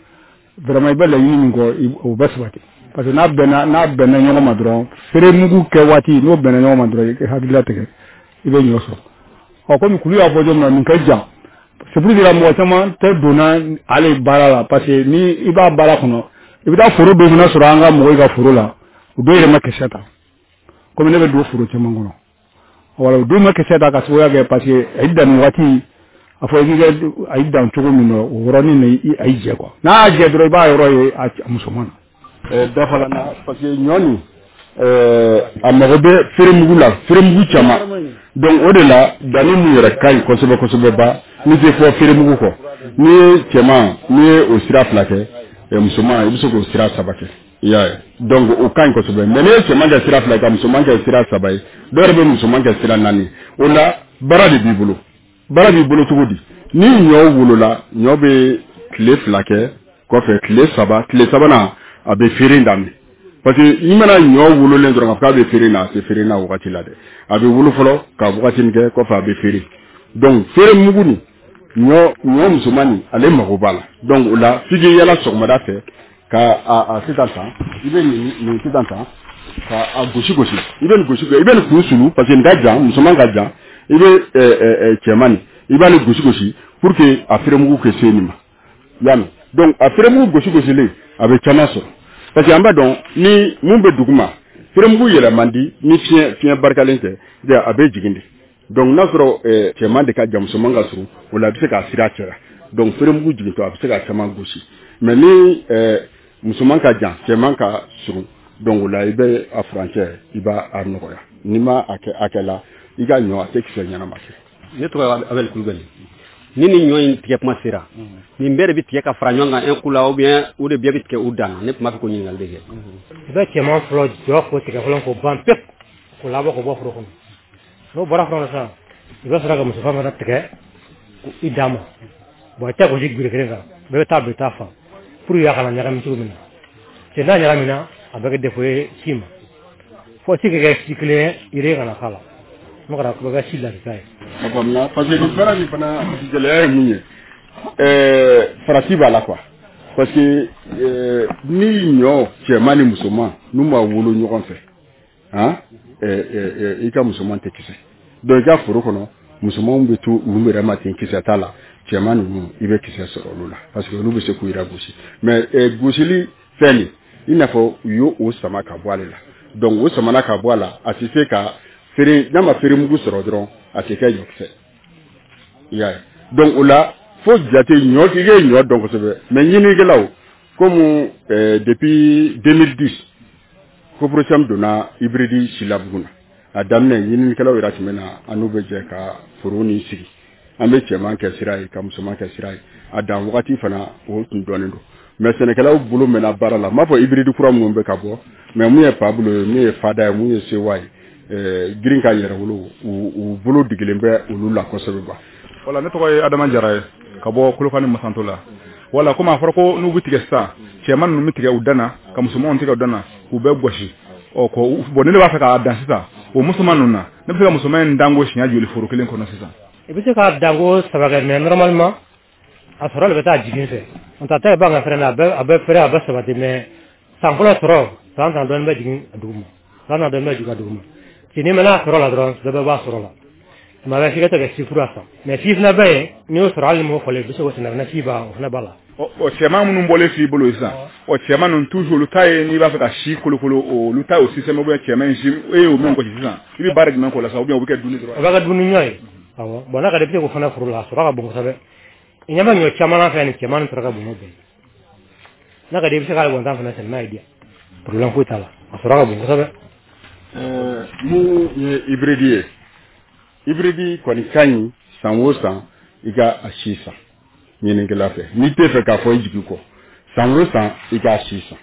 vraiment i bɛ laɲini min kɔ, o bɛ sabati. Parce que n'a bɛnna ɲɔgɔn ma dɔrɔn, feeremugu kɛ waati n'o bɛnna ɲɔgɔn ma dɔrɔn, i hakili latigɛ, i bɛ ɲɔ sɔrɔ. Komi kulu y'a fɔ cogo min na, nin ka jan. C'est pour dire mɔgɔ caman tɛ donna ale baara la, parce que ni i b'a baara kɔnɔ, i bɛ taa foro dɔ fana sɔrɔ an ka mɔgɔw ka foro la, o dɔw yɛrɛ ma kisɛ ta. Komi ne bɛ don foro caman kɔnɔ, wala o dɔw ma kisɛ ta ka sababuya kɛ parce que a y'i dan nin waati, a fɔ i k'i kɛ a y'i dan cogo min na, o yɔrɔnin na a y'i jɛ quoi. N'a y'a jɛ dɔrɔn, i b'a yɔrɔ ye a musoman na. Dafa la, parce que ɲɔ nin a mago bɛ feeremugu la, feeremugu caman. Donc o de la danni mun yɛrɛ ka ɲi kosɛbɛ kosɛbɛ ba, n'i tɛ fɔ feeremugu kɔ, n'i ye cɛman, n'i ye o sira 2 kɛ, musoman i bɛ se k'o sira 3 kɛ. I y'a ye, donc o ka ɲi kosɛbɛ. Mais n'i ye cɛman kɛ sira 2 ye ka musoman kɛ sira 3 ye, dɔw yɛrɛ bɛ musoman kɛ sira 4. O la baara de b'i bolo. Baara b'i bolo cogo di? Ni ɲɔ wolola, ɲɔ bɛ tile 2 kɛ, kɔfɛ tile 3, tile 3nan a bɛ feere daminɛ. Parce que i mana ɲɔ wololen dɔrɔn k'a bɛ feere na, a tɛ feere na o wagati la dɛ. A bɛ wolo fɔlɔ ka wagati min kɛ, kɔfɛ a bɛ feere. Donc feere mugu nin, ɲɔ musoman nin, ale mago b'a la. Donc o la f'i k'i yala sɔgɔmada fɛ ka a sisan tan, i bɛ nin sisan tan ka a gosi gosi, i bɛ nin gosi, i bɛ nin kun sulu, parce que nin ka jan, musoman ka jan, i bɛ cɛman nin, i b'ale gosi gosi pour que a feeremugu kɛ se nin ma. I y'a mɛn? Donc a feeremugu gosi gosilen, a bɛ caman sɔrɔ. Parce que an b'a dɔn ni mun bɛ dugu ma, feeremugu yɛlɛ man di ni fiɲɛ barikalen tɛ, a bɛ jigin de. Donc n'a sɔrɔ cɛman de ka jan, musoman ka surun, o la a bɛ se k'a sira caya. Donc feeremugu jigintɔ a bɛ se ka caman gosi. Mais ni musoman ka jan, cɛman ka surun, donc o la i bɛ a furancɛ, i b'a a nɔgɔya. N'i ma a kɛ hakɛ la, i ka ɲɔ a tɛ kisɛ ɲɛnama kɛ. Ne tɔgɔ ye Abel Kulubali. Ni nin ɲɔ in tigɛ kuma sera, nin bɛɛ de bɛ tigɛ ka fara ɲɔgɔn kan un coup la, ou bien o de bɛɛ bɛ tigɛ u dan na? Ne tun b'a fɛ k'o ɲininkali de kɛ. I bɛ cɛman fɔlɔ jɔ k'o tigɛ fɔlɔ k'o ban pewu, k'o labɔ k'o bɔ foro kɔnɔ. N'o bɔra foro kɔnɔ sisan, i bɛ sɔrɔ ka muso fana tigɛ i dan ma. Bon, i tɛ gosi gere kelen kan, bɛɛ bɛ taa don i ta fan pour que a kana ɲagami cogo min na. Cɛ n'a ɲagamina, a bɛ kɛ défaut ye si ma. Fo si ka kɛ si kelen ye, yiri kana k'a la. N'o kɛra, a bɛ kɛ si lakika ye. A faamuna, parce que nin baara nin fana gɛlɛya ye mun ye, farati b'a la quoi. Parce que ni ɲɔ cɛman ni musoman n'u ma wolo ɲɔgɔn fɛ, han, i ka musoman tɛ kisɛ. Donc i ka foro kɔnɔ, musomanw bɛ to u yɛrɛ ma ten, kisɛ t'a la. Cɛman ninnu, i bɛ kisɛ sɔrɔ olu la, parce que olu bɛ se k'u yɛrɛ gosi. Mais gosili fɛn nin, i n'a fɔ u y'o o sama ka bɔ ale la. Donc o samana ka bɔ a la, a tɛ se ka feere, n'a ma feeremugu sɔrɔ dɔrɔn, a tɛ kɛ ɲɔkisɛ. I y'a ye? Donc o la fo jate ɲɔ, i ye ɲɔ dɔn kosɛbɛ. Mais ɲininikɛlaw, comme depuis 2010 Coprocam donna hybride silabugu na, a daminɛ ɲininikɛlaw yɛrɛ tun bɛ na, an n'u bɛ jɛ ka foro nin sigi. An bɛ cɛman kɛ sira ye ka musoman kɛ sira ye. A dan wagati fana o tun dɔnnen don. Mais sɛnɛkɛlaw bolo mɛnna baara la. N b'a fɔ hybride kura minnu bɛ ka bɔ, mais mun ye Pablo ye, mun ye Fada ye, mun ye Sewa ye, girin ka yɛrɛ wolo, u bolo digilen bɛ olu la kosɛbɛ ba. Wala, ne tɔgɔ ye Adama Jara ye ka bɔ Kolokani Masanto la. Wala, komi a fɔra ko n'u bɛ tigɛ sisan, cɛman ninnu bɛ tigɛ u dan na, ka musomanw tigɛ u dan na, k'u bɛɛ gosi. Ɔ ko bon, ne b'a fɛ k'a dan sisan o musoman ninnu na, ne bɛ se ka musoman in danko siɲɛ joli foro kelen kɔnɔ sisan? I bɛ se k'a danko 3 kɛ, mais normalement a sɔrɔ de bɛ taa jigin fɛ. N ta ta b'an ka fɛrɛ na, a bɛ fɛrɛ, a bɛ sabati, mais san fɔlɔ sɔrɔ, san tan dɔɔnin bɛ jigin a dugu ma, san tan dɔɔnin bɛ jigin a dugu ma. Si n'i mɛnna a sɔrɔ la dɔrɔn, dɔ bɛ bɔ a sɔrɔ la. Tuma bɛɛ f'i ka to ka si kura san. Mais si fana bɛ yen, n'i y'o sɔrɔ, hali ni m'o fɔlen, i bɛ se k'o sɛnɛ fana, si b'a o fana b'a la. Ɔ, cɛman minnu bɔlen filɛ i bolo sisan, ɔ, cɛman ninnu toujours, olu ta ye, n'i b'a fɛ ka si kolokolo, olu ta ye o système, ou bien cɛman in si e y'o min gosi sisan, i bɛ baara jumɛn k'o la sisan, ou bien o bɛ kɛ dumuni dɔrɔn? O bɛ kɛ dumuni ɲɔ ye, awɔ. Bon, n'a ka di, i bɛ se k'o fana foro la, a sɔrɔ ka bon kosɛbɛ. I ɲɛ bɛ ɲɔ caman na fɛ, nin cɛman nin sɔrɔ ka bon n'o bɛɛ ye. N'a ka di, i bɛ se k'ale wɔntan fana sɛnɛ n'a y'i diya, problème foyi t'a la, a sɔrɔ ka bon kosɛbɛ. Mun ye hybride ye? Hybride kɔni ka ɲi, san o san i ka a si san ɲininikɛla fɛ. N'i tɛ fɛ k'a fɔ i jigi kɔ, san o san i k'a si san.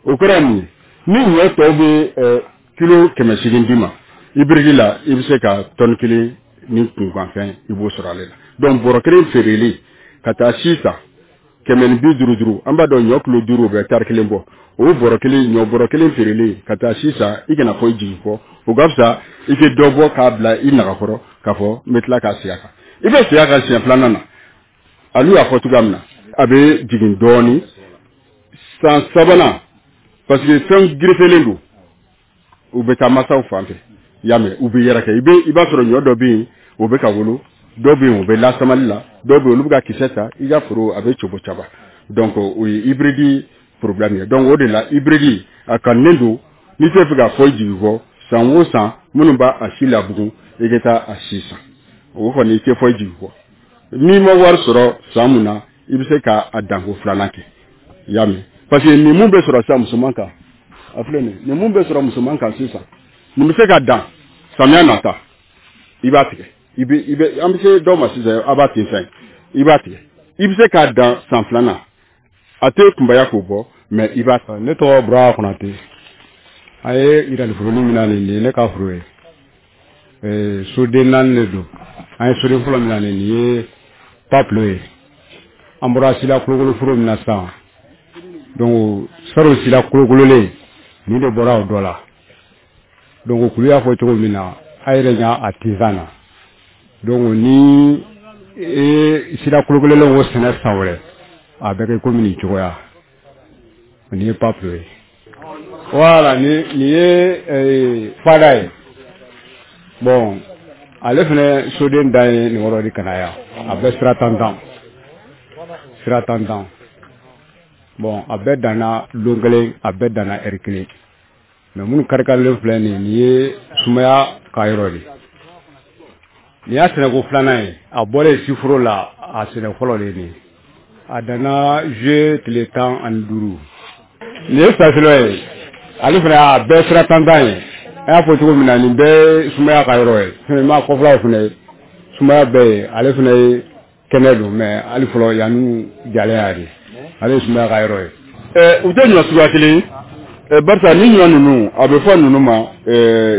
O kɔrɔ ye mun ye? Ni ɲɔ tɔw bɛ kilo 800 d'i ma, hybride la i bɛ se ka tɔni 1 ni kunkanfɛn, i b'o sɔrɔ ale la. Donc bɔrɔ kelen feereli ka taa si san 155, an b'a dɔn ɲɔ kilo 5, o bɛ tari 1 bɔ. O bɔrɔ kelen, ɲɔ bɔrɔ kelen feereli ka taa si san, i kana fɔ i jigi kɔ, o ka fisa i tɛ dɔ bɔ k'a bila i nagakɔrɔ k'a fɔ n bɛ tila k'a segin a kan. I bɛ segin a kan siɲɛ filanan na, alu y'a fɔ cogoya min na, a bɛ jigin dɔɔnin san sabanan, parce que fɛn gerefelen don, u bɛ taa masaw fan fɛ, i y'a mɛn, u bɛ yɛrɛkɛ. I bɛ i b'a sɔrɔ ɲɔ dɔ bɛ yen, o bɛ ka wolo, dɔw bɛ yen, o bɛ lasamali la, dɔw bɛ yen, olu bɛ ka kisɛ ta i ka foro, a bɛ cobo caba. Donc o ye hybride problème ye. Donc o de la, hybride a kanunen don. N'i tɛ fɛ k'a fɔ i jigi kɔ, san o san minnu b'a a si labugun, i ka taa a si san, o kɔni i tɛ fɔ i jigi kɔ. N'i ma wari sɔrɔ san mun na, i bɛ se k'a danko filanan kɛ, i y'a mɛn, parce que nin mun bɛ sɔrɔ sisan musoman kan, a filɛ nin, nin mun bɛ sɔrɔ musoman kan sisan, nin bɛ se ka dan samiya nata, i b'a tigɛ, i bɛ i bɛ an bɛ se dɔw ma sisan, a b'a ten fɛn, i b'a tigɛ, i bɛ se k'a dan san filanan, a tɛ kunbaya k'o bɔ, mais i b'a. Ne tɔgɔ Bura Konate. A ye yiraliforoni min na, nin ye ne ka foro ye. Soden 4 de don. An ye soden fɔlɔ min na, nin ye papilo ye. An bɔra sila kolokolo foro min na sisan, donc saro sila kolokololen nin de bɔra o dɔ la. Donc kulu y'a fɔ cogo min na, a yɛrɛ ɲa a tinsan na. Donc ni e sila kolokololen o sɛnɛ san wɛrɛ, a bɛ kɛ komi nin cogoya. Nin ye papilo ye. Voilà, nin ye fada ye. Bon, ale fana soden dan ye nin yɔrɔ de ka na yan. A bɛ sira tan, sira tan. Bon, a bɛɛ danna lon kelen, a bɛɛ danna ɛri kelen. Mais minnu karikarilen filɛ nin ye sumaya ka yɔrɔ de. Nin y'a sɛnɛko filanan ye. A bɔlen siforo la, a sɛnɛ fɔlɔ de ye nin ye. A danna juillet tile 15. Nin ye safilɔ ye. Ale fana a bɛɛ sira tan ye. A y'a fɔ cogo min na, nin bɛɛ ye sumaya ka yɔrɔ ye. Fɛnɛ ma kɔfɛlaw fana ye sumaya bɛɛ ye. Ale fana ye kɛnɛ don, mais hali fɔlɔ yanni jalen y'a de. Ale ye sumaya ka yɔrɔ ye. U tɛ ɲɔ suguya kelen ye, barisa ni ɲɔ ninnu, a bɛ fɔ ninnu ma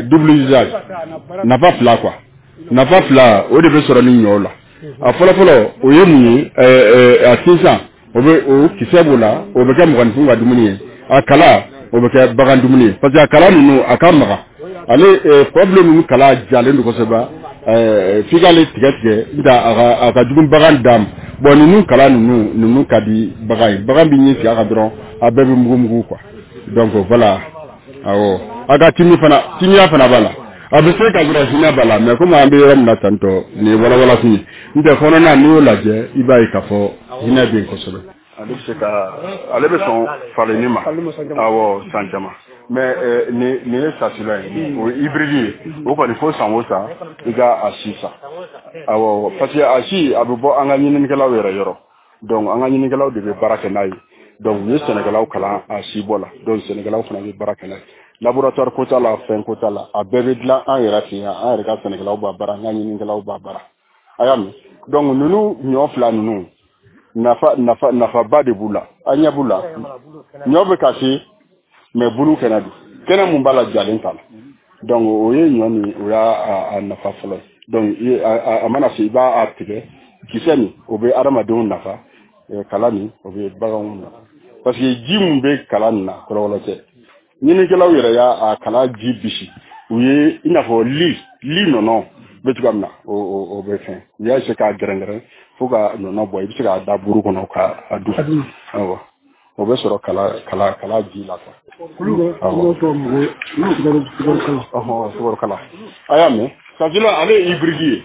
double usage, nafa fila quoi. Nafa fila o de bɛ sɔrɔ ni ɲɔw la. A fɔlɔfɔlɔ o ye mun ye? A sinsan, o bɛ o kisɛ b'o la, o bɛ kɛ mɔgɔninfin ka dumuni ye. A kala, o bɛ kɛ bagan dumuni ye, parce que a kala ninnu a ka magan. Ale kɔbilen ninnu kala jalen don kosɛbɛ, f'i k'ale tigɛ tigɛ, n'o tɛ a ka jugu bagan da ma. Bon, ninnu kala ninnu ka di bagan ye, bagan bɛ ɲɛ sigi a kan dɔrɔn, a bɛɛ bɛ mugu mugu quoi. Donc voilà, awɔ, a ka timi fana, timiya fana b'a la. A bɛ se ka sɔrɔ hinɛ b'a la, mais komi an bɛ yɔrɔ min na tantɔ, nin ye walawalafin ye. N'o tɛ kɔnɔna, n'i y'o lajɛ, i b'a ye k'a fɔ hinɛ bɛ yen kosɛbɛ. Ale bɛ se ka, ale bɛ sɔn falenni ma, awɔ, san caman. Mais nin ye sasila ye, o ye hybride ye. O kɔni fo san o san i ka a si san, awɔ, parce que a si a bɛ bɔ an ka ɲininikɛlaw yɛrɛ yɔrɔ. Donc an ka ɲininikɛlaw de bɛ baara kɛ n'a ye. Donc u ye sɛnɛkɛlaw kalan a si bɔ la, donc sɛnɛkɛlaw fana bɛ baara kɛ n'a ye. Laboratoire ko t'a la, fɛn ko t'a la, a bɛɛ bɛ dilan an yɛrɛ fɛ yan. An yɛrɛ ka sɛnɛkɛlaw b'a baara, an ka ɲininikɛlaw b'a baara. A y'a mɛn? Donc ninnu ɲɔ fila ninnu, nafa nafa nafaba de b'u la. A ɲɛ b'u la, ɲɔ bɛ ka se, mais bulu kɛnɛ don, kɛnɛ mun b'a la jalen t'a la. Donc o ye ɲɔ nin, o y'a a nafa fɔlɔ ye. Donc a mana se, i b'a tigɛ, kisɛ nin o bɛ adamadenw nafa, kala nin o bɛ baganw nafa, parce que ji mun bɛ kala nin na, kɔlɔlɔ tɛ. Ɲininikɛlaw yɛrɛ y'a kala ji bisi, u ye i n'a fɔ li nɔnɔ bɛ cogoya min na, o bɛ fɛn, u y'a essayer k'a gɛrɛngɛrɛn fo ka nɔnɔ bɔ, i bɛ se k'a da buru kɔnɔ k'a dun, awɔ, o bɛ sɔrɔ kala ji la quoi. Awɔ, sukaro kala, a y'a mɛn? Sasula ale ye hybride ye.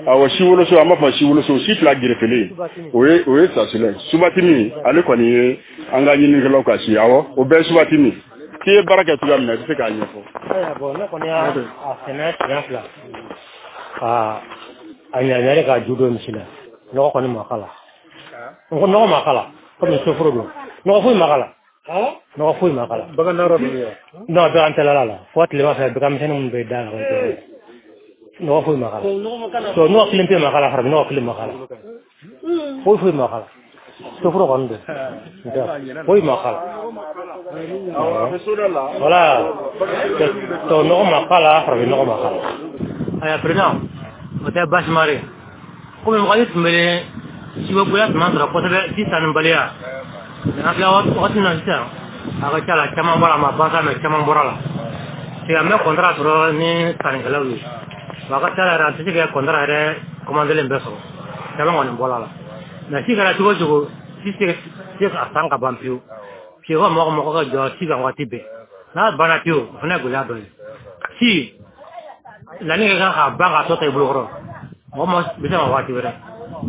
Awɔ, si woloso, an b'a fɔ si woloso, si fila gerefele, o ye sasula ye. Subatimi ale kɔni ye an ka ɲininikɛlaw ka si. Awɔ, o bɛɛ ye subatimi. K'i ye baara kɛ cogoya min na, i bɛ se k'a ɲɛfɔ. Ayiwa, bon, ne kɔni y'a sɛnɛ siɲɛ fila ka a ɲaɲari ka ju don misi la. Nɔgɔ kɔni ma k'a la. N ko nɔgɔ ma k'a la, komi soforo don. Nɔgɔ foyi ma k'a la. Nɔgɔ foyi ma k'a la. Bagan nɔrɔ bɛ yen. Non, bagan tɛ la la. Fo tilema fɛ, bagan misɛnnin minnu bɛ da la. Nɔgɔ foyi ma k'a la. So nɔgɔ kelen pe ma k'a la, farafin nɔgɔ kelen ma k'a la. Foyi foyi ma k'a la. Soforo kɔni don. Foyi ma k'a la. Voilà. To nɔgɔ ma k'a la, farafin nɔgɔ ma k'a la. Ayiwa, président, o tɛ baasi ma ye. Komi wagati tun bɛ sibɔgoya tun b'an sɔrɔ kosɛbɛ, si sannibaliya. An filɛ wagati min na sisan, a ka ca la, caman bɔra a ma ban sa, mais caman bɔra la. Parce que an bɛ contrat sɔrɔ ni sannikɛlaw ye. Wa a ka ca la yɛrɛ, an tɛ se ka contrat yɛrɛ commandelen bɛɛ sɔrɔ. Caman kɔni bɔra la. Mais si kɛra cogo o cogo, si tɛ se ka san ka ban pewu. Parce que mɔgɔ mɔgɔ ka jɔ si kan waati bɛɛ. N'a banna pewu, o fana ye gɛlɛya dɔ ye. Si laɲini ka kan ka ban k'a tɔ ta i bolo kɔrɔ. Mɔgɔ ma bɛ se ka waati wɛrɛ.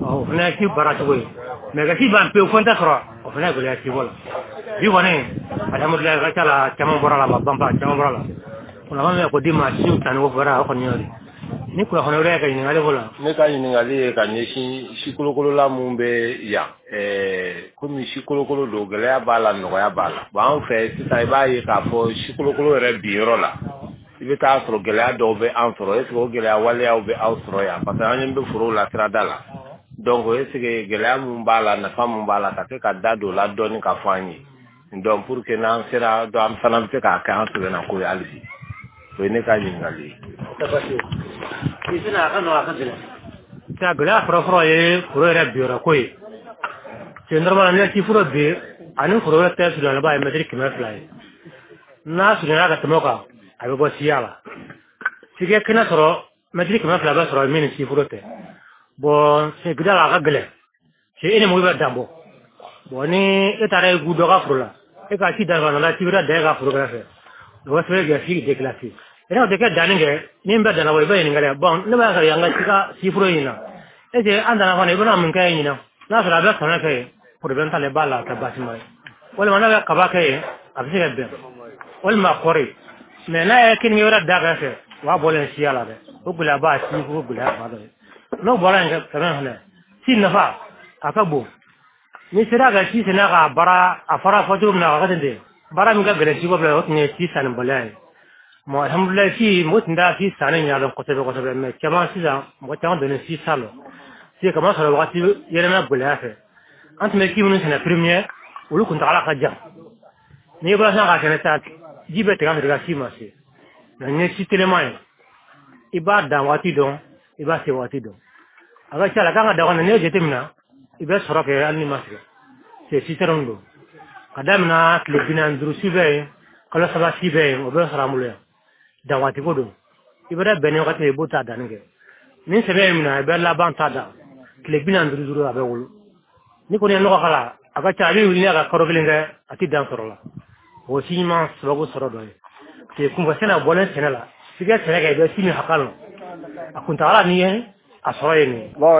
O fana ye si baara cogo ye. Mais ka si ban pewu fo n tɛ sɔrɔ, o fana ye gɛlɛya sibɔ la. Bi kɔni, alhamdulilayi, ka ca la, caman bɔra la, ma ban ba, caman bɔra la. Kunnafoni min ko di ma siw sanni ko fɔra, o kɔni y'o de. Ni kunnafoni wɛrɛ ka ɲininkali ko la. Ne ka ɲininkali ye ka ɲɛsin sikolokolola mun bɛ yan. Komi sikolokolo don, gɛlɛya b'a la, nɔgɔya b'a la. Bon, an fɛ sisan, i b'a ye k'a fɔ sikolokolo yɛrɛ bi yɔrɔ la, i bɛ taa sɔrɔ gɛlɛya dɔw bɛ an sɔrɔ. Est ce que o gɛlɛya waleyaw bɛ aw sɔrɔ yan? Parce que an ɲɛ bɛ forow la sirada la. Donc est ce que gɛlɛya mun b'a la, nafa mun b'a la, ka se ka da don o la dɔɔni ka fɔ an ye. Donc pour que n'an sera, donc an fana bɛ se k'a kɛ an sɛbɛnna ko ye hali bi. O ye ne ka ɲininkali ye. I tɛna a ka nɔgɔ, a ka gɛlɛn. Sa gɛlɛya fɔlɔ-fɔlɔ ye foro yɛrɛ biyɔrɔ ko ye. C'est normal, n'i ye si foro bin ani foro wɛrɛ tɛ surunya, b'a ye mɛtiri 200 ye. N'a surunyana ka tɛmɛ o kan, a bɛ bɔ siya la. F'i ka kɛnɛ sɔrɔ, mɛtiri 200 bɛ sɔrɔ min ni si foro tɛ. Bon, sigida la a ka gɛlɛn. C'est e ni mɔgɔ bɛ dan bɔ. Bon, ni e taara i gu dɔ ka foro la, e ka si dan ka nana si wɛrɛ dan e ka foro kɛrɛfɛ. O bɛ sɛbɛn kɛ si déclassé. E n'a tɛ kɛ danni kɛ, ni n bɛ danna bɔ, i bɛ ɲininkali. Bon, ne b'a sɔrɔ yan ka si ka si foro in na. Est ce que an danna fana, i bɛna mun kɛ yen ɲinan? N'a sɔrɔ a bɛ sɛnɛ kɛ yen, problème t'ale b'a la, a tɛ baasi ma ye. Walima n'a bɛ kaba kɛ yen, a bɛ se ka bɛn. Walima kɔɔri. Mais n'a ye keninge wɛrɛ da kɛrɛfɛ, o b'a bɔlen siya la dɛ. O gɛlɛya b'a si foro gɛlɛya ba dɔ ye. N'o bɔra yen fɛnɛ fɛnɛ, si nafa a ka bon. Ni sera ka si sɛnɛ k'a baara, a fara fɔ cogo min na, a ka ten ten. Baara min ka gɛlɛn siko bila, o tun ye si sannibaliya ye. Bon, alhamdulilayi, si mɔgɔ tun t'a si sanni ɲɛdɔn kosɛbɛ kosɛbɛ, mais caman sisan, mɔgɔ caman donnen si san lɔ. Si kama sɔrɔ wagati yɛlɛma gɛlɛya fɛ. An tun bɛ si minnu sɛnɛ premier, olu kuntagala ka jan. N'i bɔra sisan k'a sɛnɛ sisan, ji bɛ tigɛ a fɛ ka si ma se. Mais ni ye si teliman ye, i b'a dan waati dɔn, i b'a se waati dɔn. A ka ca la, kan ka dan kɔnɔ, n'i ye jateminɛ, i bɛ sɔrɔ kɛ hali n'i ma sɛgɛn. C'est si sɛrɛn don. Ka daminɛ tile 45 si bɛ yen, kalo 3 si bɛ yen, o bɛ sɔrɔ an bolo yan. Dan waati ko don. I bɛ bɛn ni wagati ye, i b'o ta danni kɛ. Ni sɛbɛn ye minɛ, i bɛ laban ta dan. Tile 45 a bɛ wolo. Ni kɔni ye nɔgɔ k'a la, a ka ca, a bɛ wuli n'a ka kalo 1 kɛ, a tɛ dan sɔrɔ la. O si ɲuman sababu sɔrɔ dɔ ye. C'est kunfɛ sɛnɛ bɔlen sɛnɛ la. F'i ka sɛnɛ kɛ, i bɛ si min hakɛ lɔn. A kuntagala ni ye a sɔrɔ ye nin ye. Bon,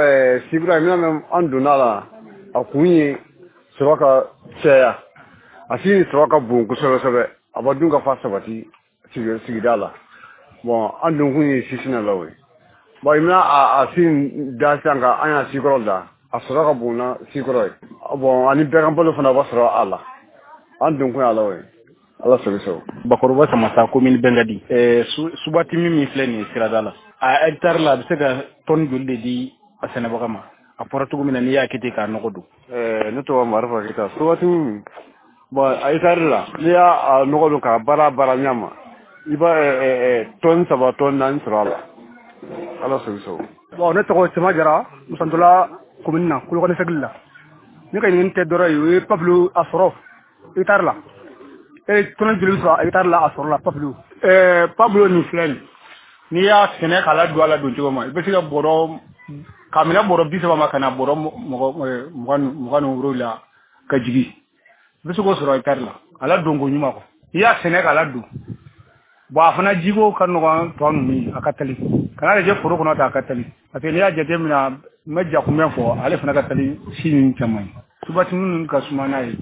sikura min bɛ an donna la, a kun ye sɔrɔ ka caya. A si sɔrɔ ka bon kosɛbɛ kosɛbɛ. A b'a dun ka fa sabati sigida la. Bon, an dun kun ye si sɛnɛlaw ye. Bon, i bɛna a si da sisan ka an y'a sikɔrɔ da. A sɔrɔ ka bon na sikɔrɔ ye. Bon, ani bɛɛ balo fana b'a sɔrɔ a la. An dun kun y'a la o ye. Ala sago sago. Bakɔrɔba Samasa, commune Bengadi. Subatimi min filɛ nin ye sirada la. A hectare la, a bɛ se ka tɔni joli de di a sɛnɛbaga ma? A fɔra cogo min na, n'i y'a kɛ ten k'a nɔgɔ don. Ne tɔgɔ Marifa Keyita. Subatimi, bon, a hectare la, n'i y'a nɔgɔ don k'a baara ɲɛ ma, i b'a tɔni 3, tɔni 4 sɔrɔ a la. Ala sago sago. Bon, ne tɔgɔ Sema Jara, Musantola commune na, Kolokani cercle la. Ne ka ɲininkali tɛ dɔrɔn ye, o ye Pablo a sɔrɔ hectare la. Tɔnɔ joli bɛ sɔrɔ hectare la a sɔrɔ la Pablo? Pablo nin filɛ nin, n'i y'a sɛnɛ k'a ladon a la don cogo ma, i bɛ se ka bɔrɔ k'a minɛ bɔrɔ 30 ma ka na bɔrɔ 27 ka jigin. I bɛ se k'o sɔrɔ hectare la. A ladon ko ɲuman kɔ. N'i y'a sɛnɛ k'a ladon. Bon, a fana jiko ka nɔgɔn tɔ ninnu ye, a ka teli. Kana lajɛ foro kɔnɔ ta a ka teli, parce que n'i y'a jateminɛ, n bɛ jakunbɛn fɔ, ale fana ka teli si ninnu caman ye. Subatimi ninnu ka suma n'a ye.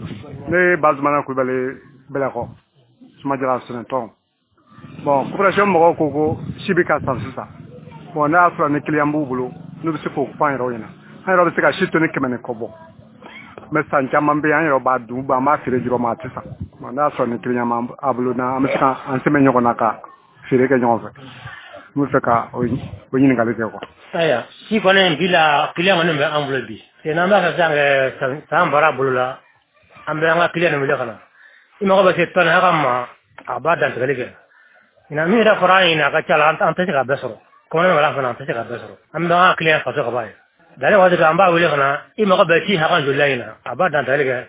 Ne ye Bazumana Kulubali Bɛlɛkɔ, Sumajala sɛnɛtɔn. Bon, coopération mɔgɔw ko si bɛ ka san sisan. Bon, n'a y'a sɔrɔ ni client b'u bolo, n'u bɛ se k'o fɔ an yɛrɛw ɲɛna. An yɛrɛ bɛ se ka si tonni 100 ni kɔ bɔ. Mais san caman bɛ yen, an yɛrɛ b'a dun, an b'a feere jɔrɔ ma, a tɛ san. Bon, n'a y'a sɔrɔ ni client b'an bolo, n'an bɛ se ka an sɛmɛ ɲɔgɔn na ka feere kɛ ɲɔgɔn fɛ. N bɛ fɛ ka o ɲininkali kɛ quoi. Ayiwa, si kɔni bi la, client kɔni bɛ an bolo bi. N'an b'a fɛ sisan kɛ san baara bolo la, an bɛ an ka client wele ka na. I mago bɛ se tɔni hakɛ ma, a b'a dantigɛli kɛ. Ɲinan min yɛrɛ fɔra an ɲɛna, a ka ca la, an tɛ se k'a bɛɛ sɔrɔ. Kɔmɔnɛ wala fana, an tɛ se k'a bɛɛ sɔrɔ. An bɛ an ka client faso ka b'a ye. Danni waati an b'a wele ka na, i mago bɛ si hakɛ joli la ɲinan, a b'a dantigɛli kɛ.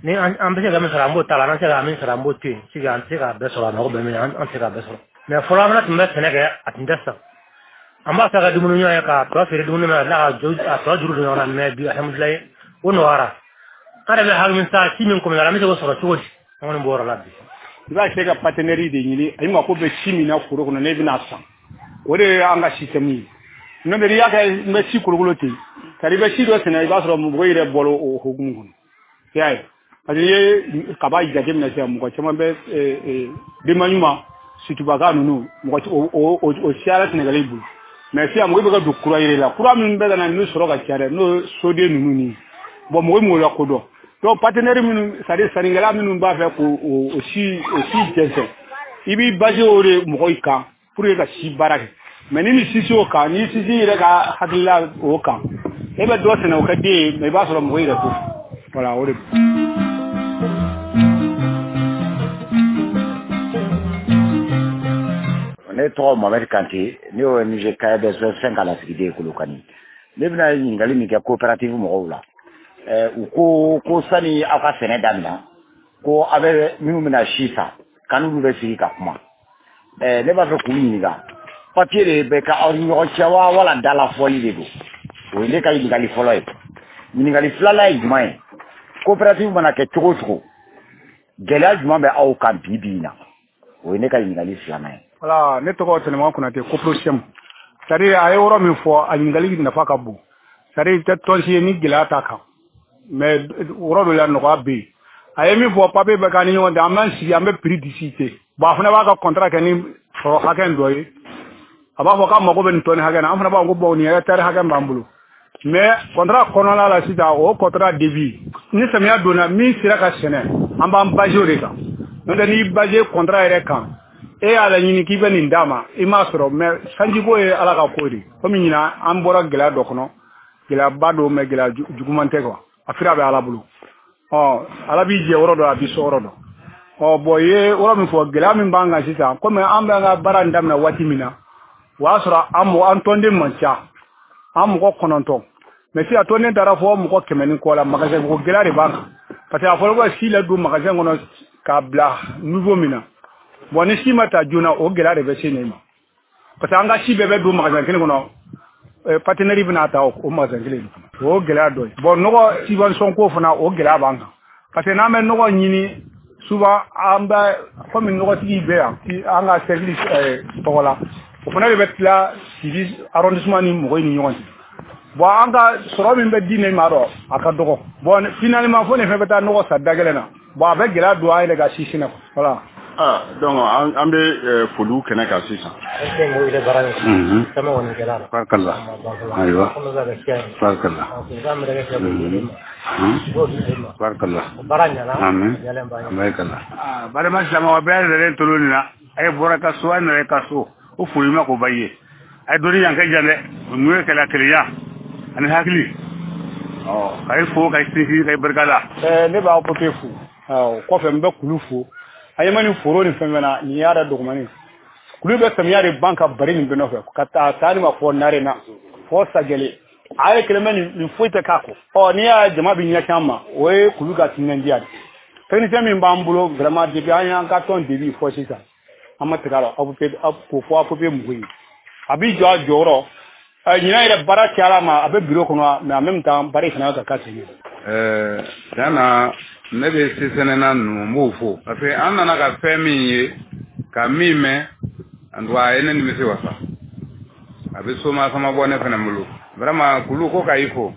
Ni an bɛ se ka min sɔrɔ, an b'o ta la, n'an tɛ se ka min sɔrɔ, an b'o to yen. Sigi an tɛ se k'a bɛɛ sɔrɔ, a mago bɛ min na, an tɛ se k'a bɛɛ sɔrɔ. Mais fɔlɔ an fana tun bɛ sɛnɛ kɛ, a tun tɛ san. An b'a fɛ ka dumuni ɲɔgɔn ye k'a tɔ feere dumuni ma, ka a tɔ juru don ɲɔgɔn na, mais bi alhamdulilayi, o nɔgɔyara. An yɛrɛ bɛ hami sa si min kɔmi an bɛ se k'o sɔrɔ cogo di? An kɔni b'o yɔrɔ la bi. I b'a se ka partenaire de ɲini, i mako bɛ si min na foro kɔnɔ, n'e bɛna san. O de ye an ka système ye. N'o tɛ n'i y'a kɛ n bɛ si kolokolo ten, c'est à dire i bɛ si dɔ sɛnɛ, i b'a sɔrɔ mɔgɔ yɛrɛ bɔra o hukumu kɔnɔ. I y'a ye? Parce que n'i ye kaba jateminɛ sisan, mɔgɔ caman bɛ denba ɲuman, situbaka ninnu, mɔgɔ o siyara Sɛnɛgali bolo. Mais sisan mɔgɔ bɛ ka don kura yɛrɛ la, kura minnu bɛ ka na n'u sɔrɔ ka ca dɛ, n'o ye soden ninnu ni. Bon, mɔgɔ m'o lakodɔn. Donc partenaire minnu, c'est à dire sannikɛla minnu b'a fɛ k'o si jɛnsɛn, i b'i basé o de mɔgɔw kan pour que ka si baara kɛ. Mais ni sisi o kan, ni sisi yɛrɛ ka hakilila o kan, e bɛ dɔ sɛnɛ o ka den ye, mais i b'a sɔrɔ mɔgɔ yɛrɛ t'o. Voilà, o de. Ne tɔgɔ Mohamed Kante, ne ye ONG KBS 5 ka lasigiden ye Kolokani. Ne bɛna ɲininkali min kɛ coopérative mɔgɔw la. U ko sani aw ka sɛnɛ daminɛ, ko aw bɛ minnu bɛna si san, k'an n'olu bɛ sigi ka kuma. Ne b'a fɛ k'u ɲininka, papier de bɛ kɛ aw ni ɲɔgɔn cɛ wa, wala dalafɔli de don? O ye ne ka ɲininkali fɔlɔ ye. Ɲininkali filanan ye jumɛn ye? Coopérative mana kɛ cogo o cogo, gɛlɛya jumɛn bɛ aw kan bi bi in na? O ye ne ka ɲininkali filanan ye. Voilà, ne tɔgɔ Tɛnɛma Konate, Coprochem. C'est à dire a ye yɔrɔ min fɔ, a ɲininkali nafa ka bon. C'est à dire i tɛ tɔnsi ye ni gɛlɛya t'a kan. Mais yɔrɔ dɔ la nɔgɔya bɛ yen. A ye min fɔ, papier bɛ k'an ni ɲɔgɔn cɛ, an b'an sigi, an bɛ prix discuter. Bon, a fana b'a ka contrat kɛ ni sɔrɔ hakɛ dɔ ye. A b'a fɔ k'a mago bɛ nin tɔni hakɛ na, an fana b'a fɔ ko bon, nin hectare hakɛ b'an bolo. Mais contrat kɔnɔna la sisan, o contrat début, ni samiya donna, min sera ka sɛnɛ, an b'an basé o de kan. N'o tɛ n'i basé contrat yɛrɛ kan, e y'a laɲini k'i bɛ nin d'a ma, i m'a sɔrɔ, mais sanjiko ye Ala ka ko de ye. Komi ɲinan an bɔra gɛlɛya dɔ kɔnɔ, gɛlɛyaba don, mais gɛlɛya juguman tɛ quoi. A fira bɛ Ala bolo. Ɔ, Ala b'i jɛ yɔrɔ dɔ, a b'i sɔn yɔrɔ dɔ. Ɔ, bon, i ye yɔrɔ min fɔ, gɛlɛya min b'an kan sisan, komi an bɛ an ka baara in daminɛ waati min na, o y'a sɔrɔ an mɔgɔ, an tɔnden man ca, an mɔgɔ 9. Mais sisan tɔnden taara fɔ mɔgɔ 100 ni kɔ la, magasin ko gɛlɛya de b'an kan. Parce que a fɔra ko ka si ladon magasin kɔnɔ k'a bila niveau min na. Bon, ni si ma ta joona, o gɛlɛya de bɛ se nin ma. Parce que an ka si bɛɛ bɛ don magasin kelen kɔnɔ, partenaire bɛna ta o magasin kelen de kɔnɔ. O gɛlɛya dɔ ye. Bon, nɔgɔ subvention ko fana, o gɛlɛya b'an kan. Parce que n'an bɛ nɔgɔ ɲini, souvent an bɛ komi nɔgɔtigi bɛ yan, an ka cercle tɔgɔ la, o fana de bɛ tila Sibi arrondissement ni mɔgɔw ni ɲɔgɔn cɛ. Bon, an ka sɔrɔ min bɛ di ne ma dɔn, a ka dɔgɔ. Bon, finalement fo nin fɛn bɛ taa nɔgɔ san da gɛlɛn na. Bon, a bɛ gɛlɛya don an yɛrɛ ka si sɛnɛ. Voilà. Ah, donc an bɛ foliw kɛnɛ kan sisan. Barikala. Ayiwa. Barikala. Barikala. Amin. Barikala. Balima silamɛw, bɛɛ lajɛlen tolo nin na, a ye bɔra ka so, a nana ka so, o foli ma k'o ba ye. A ye dɔnni yan kɛ jan dɛ, o mun ye kɛlɛ kelenya ani hakili. Ɔ, ka ye fo, ka ye sinsin, ka ye barika da. Ne b'aw papier fo. Awɔ, kɔfɛ n bɛ kulu fo. A ye ma nin foro ni fɛn fɛn na, nin y'a da dɔgɔmani. Kulu bɛ samiya de ban ka bari nin bɛɛ nɔfɛ, ka taa taa ni ma fɔ nare na, fɔ sagɛlɛ. A ye kɛlɛ mɛ nin foyi tɛ k'a kɔ. Ɔ, n'i y'a jama bɛ ɲɛsin an ma, o ye kulu ka timinandiya de. Technicien min b'an bolo vraiment depuis an y'an ka tɔn début fɔ sisan, an ma tigɛ a la, k'o fɔ APP mɔgɔw ye. A b'i jɔ a jɔyɔrɔ. Ɲinan yɛrɛ baara cayara ma, a bɛ bureau kɔnɔ, mais en même temps baara fana ka k'a sen. Tiɲɛ na, ne bɛ sisɛnɛna ninnu, n b'o fo, parce que an nana ka fɛn min ye, ka min mɛn, en tout cas a ye ne nimisi wasa. A bɛ soma sama bɔ ne fana bolo. Vraiment, kulu ko ka i fo.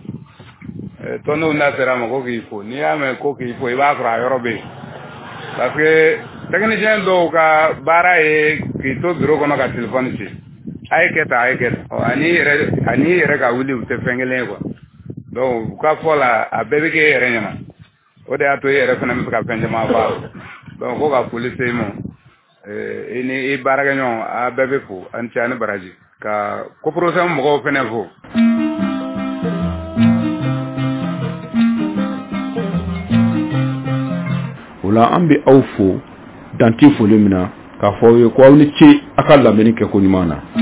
Tɔndenw da sera a ma ko k'i fo. N'i y'a mɛn ko k'i fo, i b'a sɔrɔ a yɔrɔ bɛ yen. Parce que technicien dɔw ka baara ye k'i to bureau kɔnɔ ka téléphone ci. A ye kɛ tan, a ye kɛ tan. Ɔ, ani i yɛrɛ ka wuli, u tɛ fɛn kelen ye quoi. Donc u ka fɔ la, a bɛɛ bɛ kɛ e yɛrɛ ɲɛna. O de y'a to e yɛrɛ fana bɛ se ka fɛn caman fɔ a la. Donc ko ka foli se i ma. I ni i baarakɛɲɔgɔn, a bɛɛ bɛ fo. A ni ce, a ni baraji. Ka COPROSEM mɔgɔw fana fo. O la an bɛ aw fo dan tɛ foli min na, k'a fɔ aw ye ko aw ni ce a ka lamɛnni kɛko ɲuman na.